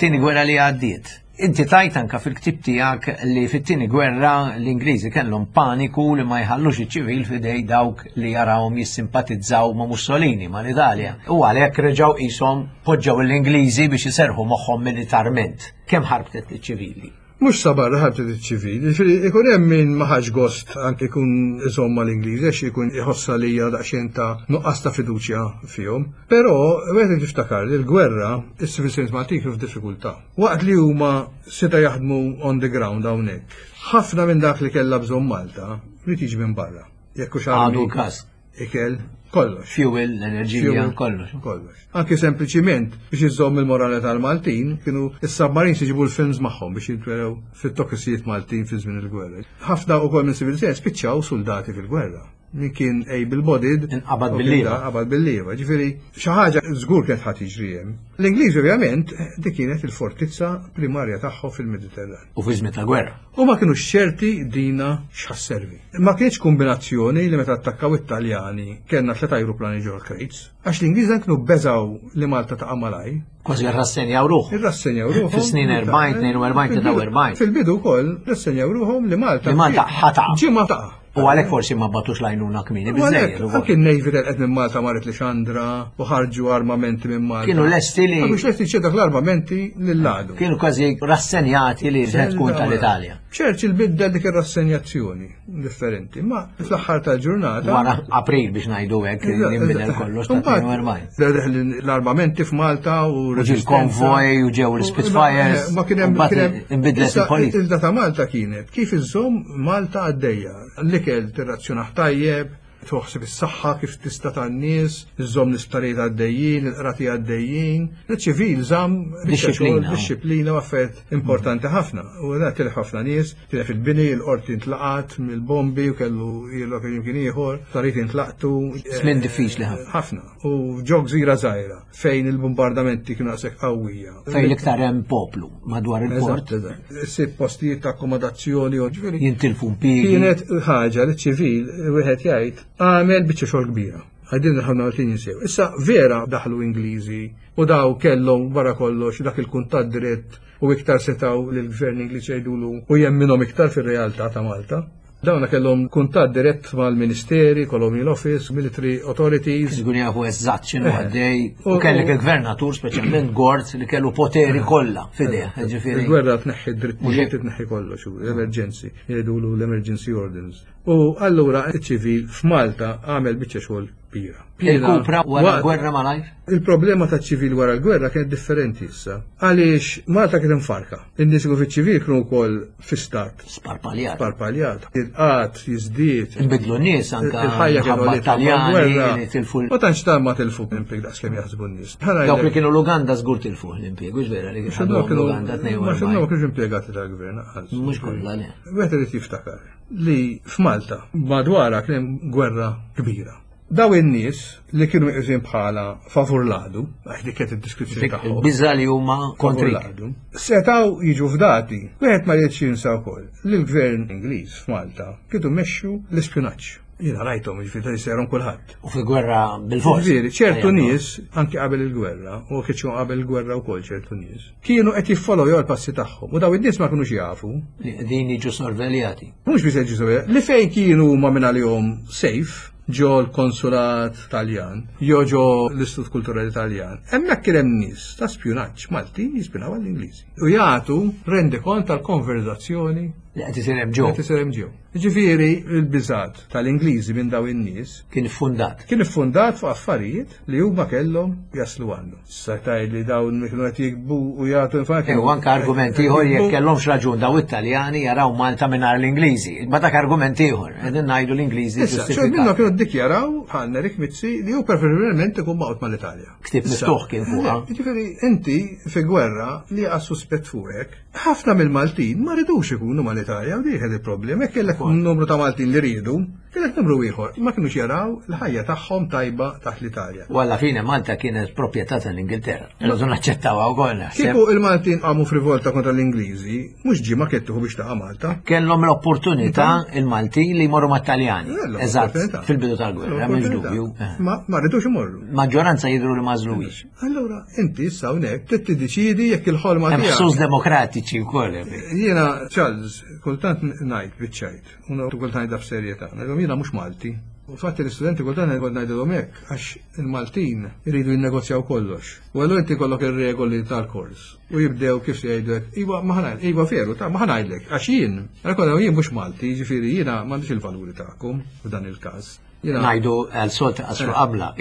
Tieni gwerra li għaddiet. Inti tajt anka fil-ktib tiegħek li fit-tieni gwerra l-Ingliżi kellhom paniku li ma jħallux iċ-ċivil f'idej dawk li jarawhom jissimpatizzaw ma' Mussolini, ma' l-Italja. U għalhekk reġgħu qishom poġġew l-Ingliżi biex iserrħu moħħhom militarment. Kemm ħarbtet liċ-ċivili? Mhux sa barra ħarbtet iċ-ċivili, jiġifieri ikun hemm min ma ħax gost anke jkun iżomm mal-Ingliżi għax ikun iħossha li hija daqsxejn ta' nuqqas ta' fiduċja fihom. Però wieħed irid jiftakar li l-gwerra, is-civil servants Maltin kienu f'diffikultà. Waqt li huma seta' jaħdmu on the ground hawnhekk, ħafna minn dak li kellha bżonn Malta ried jiġi minn barra. Jekk hux Għadu l-każ. Ikel, kollox. Fuel, l-enerġija, kollox. Kollox. Anki sempliċiment biex iżomm il-morale tal-Maltin, kienu is-submarines iġibu l-films magħhom biex jintwerew fit-tokisijiet Maltin fi żmien il-gwerra. Ħafna ukoll minn civil servants spiċċaw soldati fil-gwerra. Min kien able-bodied, Inqabad bil-lieva. Qabad bil-lieva. Ġifieri xi ħaġa żgur kienet ħadd jiġri hemm. L-Ingliżi ovvjament dik kienet il-fortizza primarja tagħhom fil-Mediterran. U fi żmien ta' gwerra. U ma kinux ċerti dina x'ħa sservi. Ma kienx kombinazzjoni li meta attakkaw it-Taljani kellna tlet ajruplani ġol crates, għax l-Ingliżi kienu beżaw li Malta taqa' malaj. Kważi rrassenjaw ruħhom. Irrassenjaw ruħhom. Fis-snin 40, 42, 43. Fil-bidu wkoll rassenjaw ruħhom li Malta. Li Malta ħa taqa'. Ġimgħa taqa'. U għalhekk forsi ma bagħtux l-għajnuna kmieni U għalhekk, biżżejjed. Anki n-Navy telqet minn Malta marret Lixandra u ħarġu armamenti minn Malta. Kienu lesti li Ma kienux lesti jċedu dak l-armamenti lill-għadu. kienu kważi rassenjati li se tkun tal-Italja. Churchill biddel dik ir-rassenjazzjoni differenti, ma fl-aħħar tal-ġurnata. Wara April biex ngħidu hekk li nbidel kollox ta' 42. Deħel l-armamenti f'Malta u U ġie l-konvoj u ġew l-Spitfires. Ma kien hemm u mbagħad kien hemm- inbidlet Issa, il-politika. Il ta' Malta kienet kif iżżomm Malta għaddejja. L-ikel tirrazzjonah tajjeb, toħsib is-saħħa kif tista' tan-nies, iżżomm l-isptarijiet għaddejjin, il-qrati għaddejjin. Il-ċivil żamm biċċa xogħol, Dixxiplina. dixxiplina u affarijiet importanti ħafna. U da tilef ħafna nies, tilef il-bini, il-qorti intlaqat mill-bombi u kellu jilok jimkien ieħor, sptarijiet intlaqtu. Żmien diffiċli ħafna. Ħafna. U ġo gżira żgħira fejn il-bombardamenti kienu daqshekk qawwija. Fejn l-iktar hemm poplu madwar il-port Eżatt, eżatt. Sib postijiet ta' akkomodazzjoni u ġifieri. jintilfu impjiegi. Kienet ħaġa li ċivil wieħed jgħid għamel biċċa xogħol kbira. Għajdin ħafna Maltin jinsew. Issa vera daħlu Ingliżi u daw kellhom wara kollox dak il-kuntatt dirett u iktar setaw lill gvern Ingliż jgħidulu u jemminhom iktar fir-realtà ta' Malta. Dawna kellhom kuntatt dirett mal-Ministeri, Colonial Office, Military Authorities. Żgur jafu eżatt x'inhu għaddej. U U- kellek il-gvernatur, speċjalment Gort, li kellu poteri kollha f'idejh. Ġifieri. Il-gwerra tneħħi drittijiet, Mhux tneħħi kollox, u l-emerġenzi, jgħidulu l-emergency orders. U allura iċ-ċivil f'Malta għamel biċċa xogħol kbira. Il-kupra wara Waqt- l-gwerra malajr? Il-problema ta' ċivil wara l-gwerra kienet differenti issa. Għaliex Malta kienet imfarka. In-nies kienu fiċ-ċivil kienu wkoll fi stat Sparpaljat. sparpaljat. Il-qat jiżdied. Inbidlu n-nies anka Il-ħajja kienu ħabba li Taljani li tilfu Ma tantx ta' ma tilfu impjeg daqs kemm jaħsbu n-nies. Dawk li kienu l-Uganda żgur tilfu l-impjeg, mhux vera li Xandu kienu kienu l-Uganda ma xandu ma 42. kienux impjegati tal-gvern. anqas. Mhux kollha le. Wieħed irid jiftakar li f'Malta madwarha kien hemm gwerra kbira. Daw in-nies li kienu meqjusin bħala favur l-għadu, għax dik kienet id-deskrizzjoni tagħhom. Il-biża li huma favur kontrik. l-għadu, Setgħu jiġu fdati. Wieħed ma jridx jinsa wkoll li l-gvern Ingliż f'Malta kienu mexxu l-ispjunaġġ. Jiena rajthom jiġifieri ta' jsejrhom kulħadd. U fi gwerra bil-fors. Ġifieri, ċertu Ejja, nies, anki qabel il-gwerra, u kieċu qabel il-gwerra wkoll ċertu nies, kienu qed jiffollow l-passi tagħhom. U daw in-nies ma kinux jafu Li qegħdin jiġu sorveljati. Mhux biss jiġu sorveljati, li fejn kienu huma minn għalihom safe, ġo l-konsulat Taljan, jew ġo l-Istitut Kulturali Taljan. Hemmhekk kien hemm nies ta' spjunaġġ Maltin jispjunaw għall-Ingliżi. U jagħtu rendikont tal-konverzazzjoni Li qed isir hemm ġew. qed isir hemm ġew. Ġifieri l-biżat tal-Ingliżi minn daw in-nies Kien iffundat. kien iffundat fuq affarijiet li huma kellhom jaslu għandu. Issa tgħid li dawn kienu qed jikbu u jagħtu infatti. U anka argument ieħor jekk kellhomx raġun daw it-Taljani jaraw Malta mingħajr l-Ingliżi. Ma dak argument ieħor, qegħdin ngħidu l-Ingliżi Issa, xogħol minnhom ġustifikat. kienu ddikjaraw bħal Nerik Mizzi li hu preferibilment ikun maqgħod mal-Italja. Ktieb miftuħ kien fuqha. Ġifieri inti fi gwerra li għas suspett fuqek, ħafna mill-Maltin ma ridux ikunu mal-Italja u dik il-problema. Jekk kellek numru ta' Maltin li riedu, Tielet numru ieħor, ma kinux jaraw l-ħajja tagħhom tajba taħt l-Italja. U alla fine Malta kienet proprjetà tal-Ingilterra. Irridu naċċettawha wkoll naħseb. Kieku il-Maltin qamu f'rivolta kontra l-Ingliżi, mhux ġimgħa kienet tieħu biex taqa' Malta. Kellhom l-opportunità il-Maltin li jmorru mat-Taljani. Eżatt, fil-bidu tal-gwerra, m'hemmx dubju. Eh. Ma ma rridux imorru. Maġġoranza jidhru li ma żluwix. Allura, inti issa hawnhekk trid tiddeċiedi jekk il-ħolma tiegħek. Hemm ħsus demokratiċi wkoll. Jiena Charles, kultant ngħid biċ-ċajt. U kultant ngħidha b'serjetà, ngħidilhom jiena mhux Malti. U fatti l-istudenti kultant ngħid ngħidilhom hekk għax il-Maltin iridu jinnegozjaw kollox. U allura inti kollok ir-regoli tal-kors u jibdew kif se jgħidlek, iva ma ħa iva veru, ta' ma ħa ngħidlek, għax jien, għal jien mhux Malti, jiġifieri jiena m'għandix il-valuri tagħkom f'dan il-każ. Najdu għal sol ta' qasru qabla.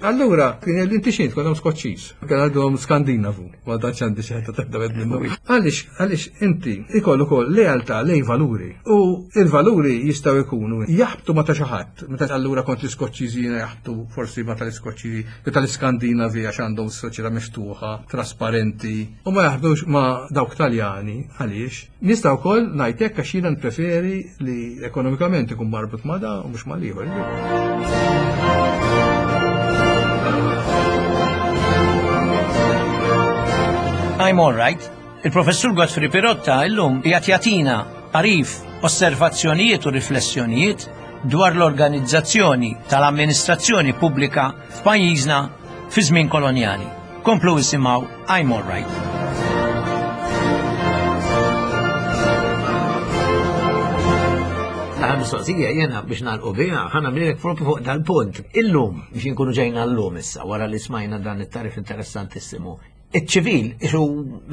Allura, kien li inti xint, kien Skoċċiż, kien għandhom Skandinavu, ma tantx għandi xi ħadd ta' minnu. Għaliex, għaliex inti ikollu ukoll lealtà lej valuri. U il-valuri jistgħu jkunu jaħbtu ma ta' xi ħadd. Meta allura kont l-Iskoċċiżi jiena jaħbtu forsi ma tal-Iskoċċiżi, jew tal-Iskandinavi għax għandhom soċjetà miftuħa, trasparenti, u ma jaħbtux ma dawk Taljani għaliex Nista' wkoll ngħid hekk għax jiena npreferi li ekonomikament ikun marbut ma' da u mhux mal-ieħor. I'm all right. Il-professur Godfrey Pirotta illum qiegħed jagħtina għarif, osservazzjonijiet u riflessjonijiet dwar l-organizzazzjoni tal-amministrazzjoni pubblika f'pajjiżna fi żmien kolonjali. Komplu isimgħu I'm All Right. L-aħħar mistoqsija jena biex nagħlqu biha ħa nagħmlilek propju fuq dal-punt. Illum biex inkunu ġejna llum issa wara li smajna dan it-tarif interessantissimu. Iċ-ċivil, isu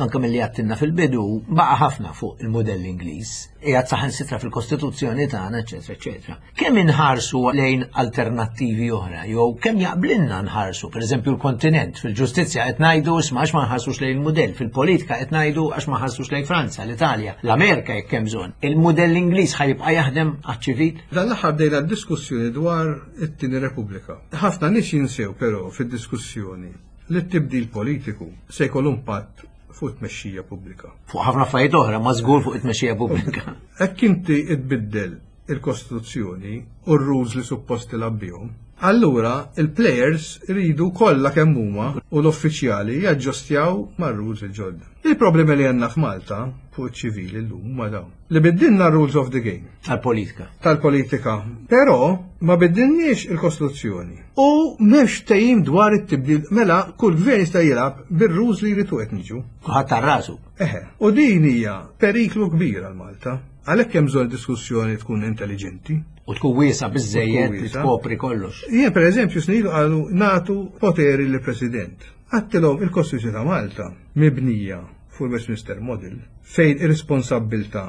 anke milli għattinna fil-bidu, baqa' ħafna fuq il-modell Ingliż, qiegħed saħansitra fil-Kostituzzjoni tagħna, eċetera, eċetera. Kemm inħarsu lejn alternattivi oħra, jew kemm jaqblilna nħarsu, pereżempju l-kontinent, fil-ġustizzja qed ngħidu isma' għax ma nħarsux lejn il-mudell, fil-politika qed ngħidu għax ma nħarsux lejn Franza, l-Italja, l-Amerika jekk hemm bżonn. Il-mudell Ingliż ħa jibqa' jaħdem għaċ-ċivil? Dan l-aħħar bdejna d-diskussjoni dwar it-tieni Repubblika. Ħafna nies jinsew però fid-diskussjoni li t-tibdil politiku se jkollu impatt fuq it-tmexxija pubblika. Fuq ħafna affarijiet oħra, ma żgur fuq it-tmexxija pubblika. Hekk inti tbiddel il-Kostituzzjoni u r-rules li suppost tilgħab bihom, allura il-players iridu kollha kemm huma u l-uffiċjali jaġġustjaw mar-rules il-ġodda. Il-problemi li għandna f'Malta fuq iċ-ċivili llum huma dawn. Li biddilna rules of the game. Tal-politika. Tal-politika. Però ma biddilniex il-Kostituzzjoni. U m'hemmx ftehim dwar it-tibdil mela kull gvern jista' jilgħab bir-rules li jrid hu qed niġu. Kulħadd għal rasu. Eħe. U din hija periklu kbir għal Malta. Għalhekk hemm bżonn diskussjoni tkun intelligenti. U tkun wiesa biżżejjed li tkopri kollox. Jien pereżempju snilu qalu nagħtu poteri lill-President. Għadtilhom il-Kostituzzjoni ta' Malta mibnija fuq il-Westminster Model fejn ir-responsabbiltà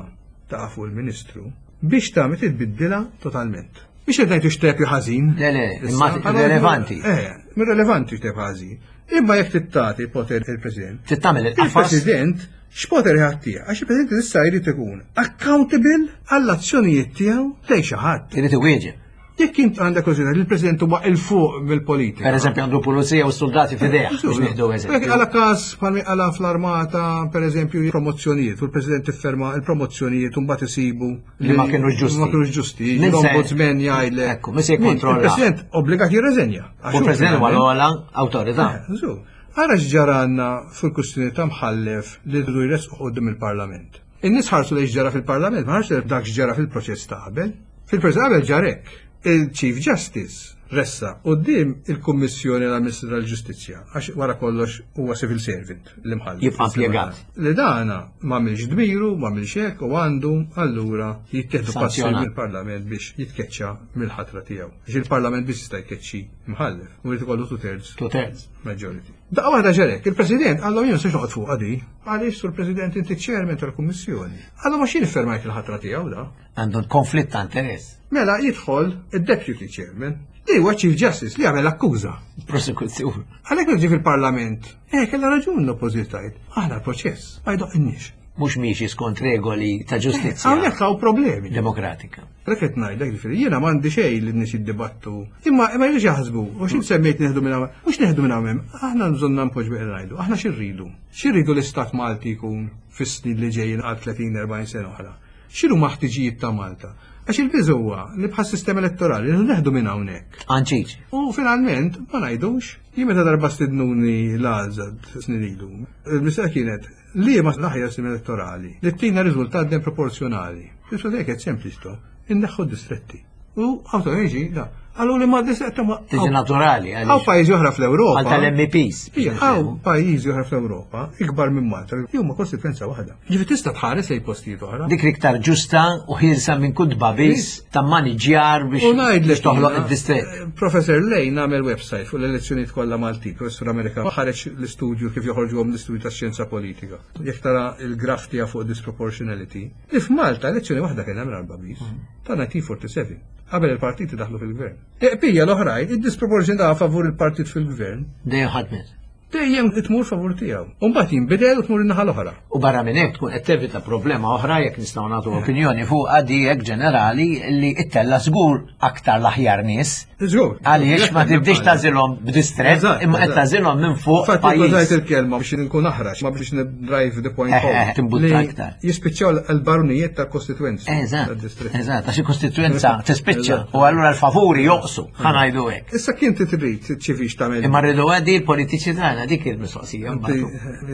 taqa' fuq il-Ministru biex tagħmel trid tbiddilha totalment. Mhix qed ngħid x'tep ħażin. Le, le, imma irrelevanti. Eh, irrelevanti x'tep ħażin. Imma jekk trid poter il-President. Trid tagħmel il-qafas. Il-President x'poter ħadd Għax il-President issa jrid ikun accountable għall-azzjonijiet tiegħu lejn xi ħadd. Irid iwieġeb. Jekk int għandek konsidra li l-President huwa il fuq mill-politika. Per eżempju għandu pulizija u soldati f'idejh biex nieħdu eżempju. Għala każ bħalmi għala fl-armata, per eżempju, promozzjonijiet, u l-President ifferma il-promozzjonijiet u mbagħad isibu li ma kienux ġusti. Ma kienux ġusti. L-ombudsman jgħidlek. Ekku, min se jikkontrolla. Il-President obbligat jirreżenja. U l-President huwa l-ogħla awtorità. Eh, Ara x'ġaranna fil-kustjoni ta' mħallef li rridu jressqu quddiem il-Parlament. In-nies ħarsu lejn x'ġara fil-Parlament, ma ħarsu dak x'ġara fil-proċess ta' qabel. Fil-proċess ta' qabel ġara hekk. Il-Chief Justice ressaq quddiem il-Kummissjoni għall-Ministru tal-Ġustizzja, għax wara kollox huwa civil servant l-imħallef. Jibqa' impjegat. Li dana m'għamilx dmiru, m'għamilx hekk u għandu allura jittieħdu passi mill-Parlament biex jitkeċċa mill-ħatra tiegħu. Għax il-Parlament biss jista' jkeċċi mħallef, u jrid ikollu two thirds. Two thirds. Majority. Daqqa waħda ġerek, il-President għallhom jien se noqgħod fuqha di. Għaliex sur President inti chairman tal-Kummissjoni. Għallhom għax jien iffermajt il-ħatra tiegħu da. Għandu konflitt ta' interess. Mela jidħol id-Deputy Chairman li huwa Chief Justice li għamel akkuża. Prosekuzzjoni. Għalhekk ġie fil-Parlament, eh kellha raġun l-oppożitajt. Aħna l-proċess ma jdoqqinniex. Mhux miexi skont regoli ta' ġustizzja. Hawnhekk hawn problemi. Demokratika. Għalhekk qed ngħidlek ġifieri jiena m'għandi xejn li n-nies jiddibattu. Imma ma jridux jaħsbu, u xi semmejt neħdu minn hawn, mhux neħdu minn hawn aħna bżonn npoġġu qed ngħidu, aħna xi rridu? Xi rridu l-istat Malti jkun fis-snin li ġejjin għal 30-40 sena oħra? X'inhuma ħtiġijiet ta' Malta? Għax il-biża huwa li bħas sistema elettorali li neħdu minn hawnhekk. Anċiċ. U finalment ma ngħidux, jien meta darba stidnuni l-għażad snin ilu, il-mistoqsija kienet li ma l-aħjar sistema elettorali li tina riżultat dem proporzjonali. Il-mistoqsija kienet sempliċi to, inneħħu distretti. U għawta jiġi, da. Għallu li ma distretti ma. Tiġi naturali. Għaw pajjiżi oħra fl-Ewropa. Għal tal-MEPs. Għaw pajjiżi oħra fl-Ewropa, ikbar minn Malta, li huma kostituenza waħda. Ġifi tista' tħares lejn postijiet oħra. Dik l-iktar ġusta u ħielsa minn kull tbabis ta' maniġjar biex toħloq id-distrett. Eh, Professor Lane għamel website fuq l-elezzjonijiet kollha Malti, professur Amerikan, ħareġ l-istudju kif joħorġuhom l-istudju tax-xjenza politika. Jekk tara il-graf tiegħu fuq disproportionality, li f'Malta elezzjoni waħda kien hemm l-arba' bis ta' 1947 qabel il-partiti daħlu fil-gvern. Eqpija l-oħrajn, id-disproporzjon ta' favur il-partit fil-gvern. Dejjem ħadmet. Dejjem tmur favur tiegħu. U mbagħad jinbidel u tmur in-naħa l-oħra. U barra minn hekk tkun qed tevita problema oħra jekk nistgħu nagħtu opinjoni fuq għadijek ġenerali li ittella żgur aktar l-aħjar nies. Żgur. Għaliex ma tibdix tażilhom b'distrett imma qed tażilhom minn fuq. Fatti użajt il-kelma biex nkun aħrax, ma biex drive the point home. Timbutta aktar. Jispiċċaw l-barunijiet tal-kostituenzi. Eżatt. Eżatt, għax il-kostituenza tispiċċa u allura l-favuri joqsu, ħanajdu hekk. Issa kien trid ċivix tagħmel. Imma rridu għaddi l-politiċi tagħna dik il-mistoqsija.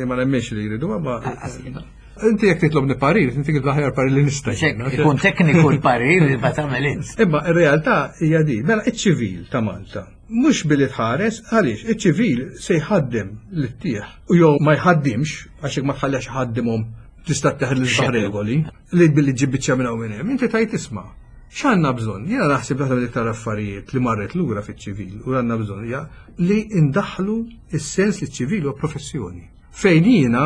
Ma nemmiex li jridu, ma Inti jekk titlobni parir, inti kif l-aħjar parir li nista'. Ikun tekniku l-parir li ma tagħmel int. Imma ir-realtà hija di, mela iċ-ċivil ta' Malta. Mhux billi tħares, għaliex iċ-ċivil se jħaddem l-tieħ u jew ma jħaddimx għax jekk ma tħallex ħaddimhom tista' teħel l regoli li billi ġib biċċa minn hawn minn hemm, inti tajt isma' x'għandna bżonn? Jiena naħseb waħda mill-iktar affarijiet li marret lura fiċ-ċivil u għandna bżonn hija li ndaħħlu s-sens li ċ-ċivil huwa professjoni. Fejn jiena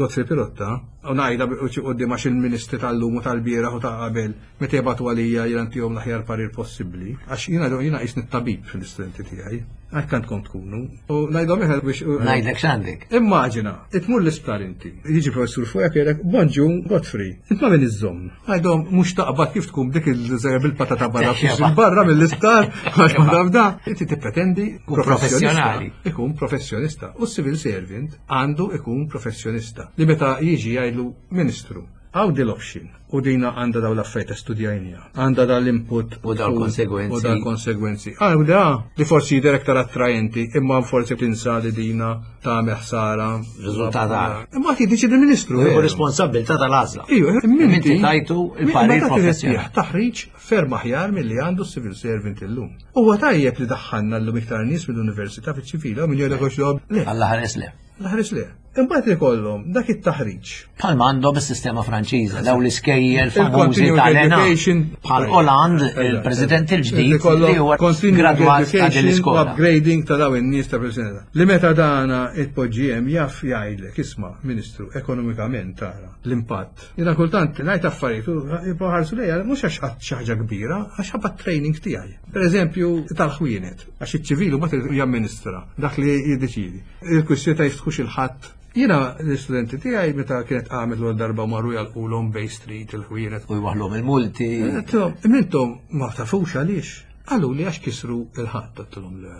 Godfrey Pirotta, u ngħidha quddiem għax il-ministri tal-lum u tal-bieraħ u ta' qabel meta jibgħatu għalija jiena ntihom l-aħjar parir possibbli, għax jiena jiena qisni t-tabib fil-istudenti tiegħi. Hekk għandkom tkunu. U ngħidhom eħel biex. Ngħidlek x'għandek. Immaġina, tmur l-isptar inti. Jiġi professur fuqek jgħidlek, bonġu, Godfrey, int ma' min iżżomm. Ngħidhom mhux taqbad kif tkun dik il-żgħira bil-patata barra barra mill-isptar, għax ma taf da. Inti tippretendi professjonali. Ikun professjonista. U civil servant għandu ikun professjonista. Li meta jiġi jgħidlu ministru, Għaw di l-option u dina għanda daw l-affarijiet studjajnija, għanda dal input u dal konsegwenzi. U dal konsegwenzi. Għaw da li forsi jidher aktar attrajenti, imma forsi tinsa li dina ta' ħsara. Riżultat Imma għati diċi il-ministru. U responsabilità tal-għażla. Iju, minti tajtu il-parir professjonali. Taħriġ ferm aħjar milli għandu civil servant illum. Huwa tajjeb li daħħalna llum iktar nies mill-università fiċ-ċivila u min jgħidlek għax le. Alla ħares le. L-ħares le. Imbagħad ikollhom dak it-taħriġ. Bħalma għandhom is-sistema Franċiża, daw l-iskejjel famużi tal-ENA. Bħal Hollande, il-President il-ġdid li huwa gradwat ta' din l-iskola. Upgrading ta' daw in-nies ta' President. Li meta dana itpoġġi hemm jaf jgħidlek isma' Ministru ekonomikament tara l-impatt. Jiena kultant ngħid affarijiet u jibqgħu ħarsu lejja mhux għax qatt xi ħaġa kbira, għax ħabba training tiegħi. Pereżempju tal-ħwienet, għax iċ-ċivil mbagħad jamministra dak li jiddeċiedi. Il-kwistjoni ta' jiftħux il-ħadd. Jiena l-istudenti tiegħi meta kienet qamet l darba marru jalqulhom Bay Street il-ħwienet. U jwaħlhom il-multi. Intom ma tafux għaliex. Qalu li għax kisru il-ħadd għedtilhom le.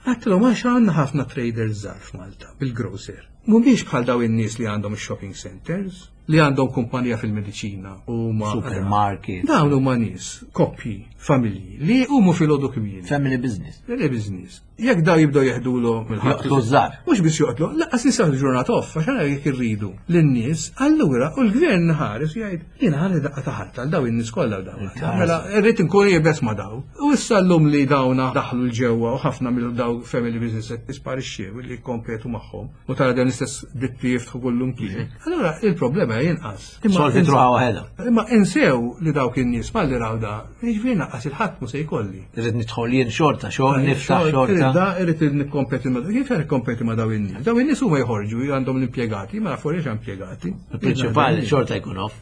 Għedtilhom għax għandna ħafna traders żgħar f'Malta bil-grocer. Mhumiex bħal daw in-nies li għandhom ix-shopping centers, li għandhom kumpanija fil-mediċina u ma supermarket. Dawn huma nies, koppji, familji li jqumu filgħodu kmieni. Family business. Family business. Jekk daw jibdew jeħdulhom il-ħadd. Joqtlu żgħar. Mhux biss joqtlu, lanqas nies ġurnata off, għax għana jekk irridu lin-nies, allura u l-gvern ħares jgħid jiena ħalli daqqa ta' ħadd għal daw in-nies kollha daw. Mela irrid inkun jibes ma' daw. U issa llum li dawna daħlu l-ġewwa u ħafna mill daw family business qed isparixxew li jikkompetu magħhom u tara dan l-istess ditti jiftħu kullum kien. Allura il-problema jinqas. Solvi truħa waħedha. Imma insew li dawk in-nies malli raw da, jiġifieri naqqas il-ħadd mu se jkolli. Irrid nidħol jien xorta, xogħol niftaħ xorta. Da irrid nikkompeti ma' kif nikkompeti ma' daw in-nies. Daw in-nies huma jħorġu għandhom l-impjegati, ma nafu għaliex impjegati. Il-prinċipali xorta jkun off.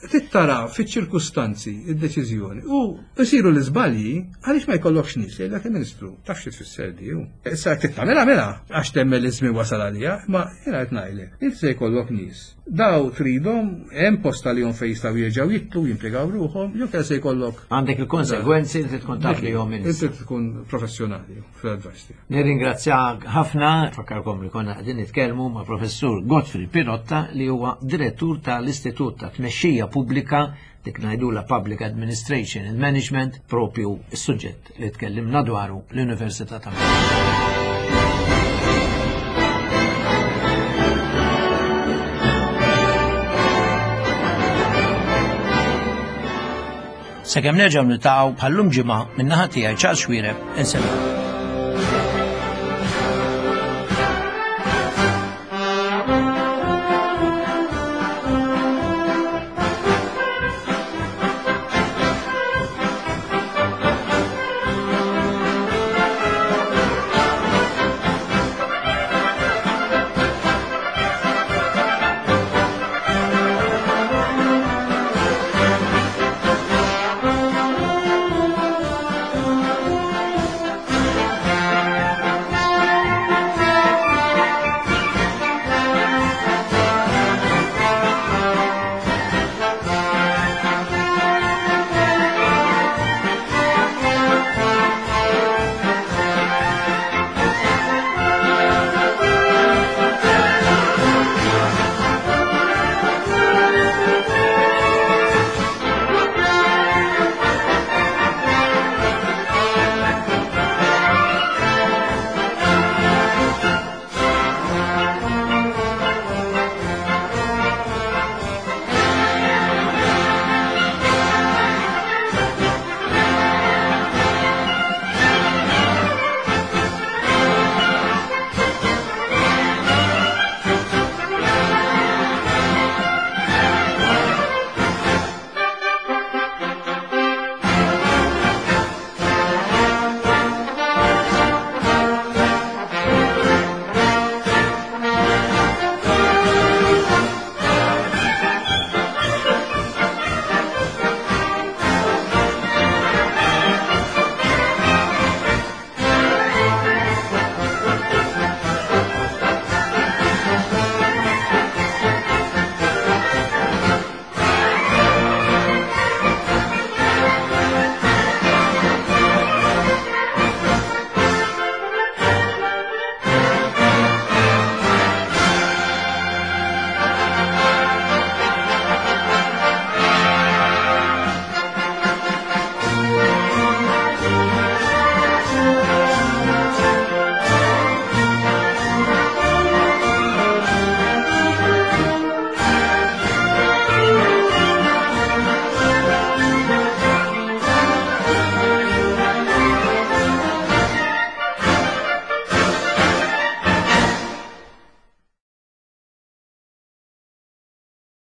Tittara fiċ-ċirkustanzi id-deċiżjoni u jsiru l-iżbalji għaliex ma jkollokx nies jgħidlek il-Ministru taf xi tfisser di. Issa jekk tagħmilha mela għax temmen li żmien wasal. għalija, ma jiena qed ngħidlek, inti se jkollok nies. Daw tridhom hemm post għalihom fejn jistgħu jerġgħu jitlu, jimpjegaw ruħhom, jew se jkollok. Għandek il-konsegwenzi li tkun taf li jom Inti tkun professjonali fl-advice tiegħek. Nirringrazzjak ħafna, fakkarkom li konna qegħdin nitkellmu ma' Professur Godfrey Pirotta li huwa direttur tal-Istitut ta' Tmexxija Pubblika dik ngħidula Public Administration and Management propju s-suġġett li tkellimna dwaru l-Università ta' Malta. Sakemm nerġgħu niltaqgħu bħallum ġimgħa min-naħa tiegħi Charles Xuereb insellem.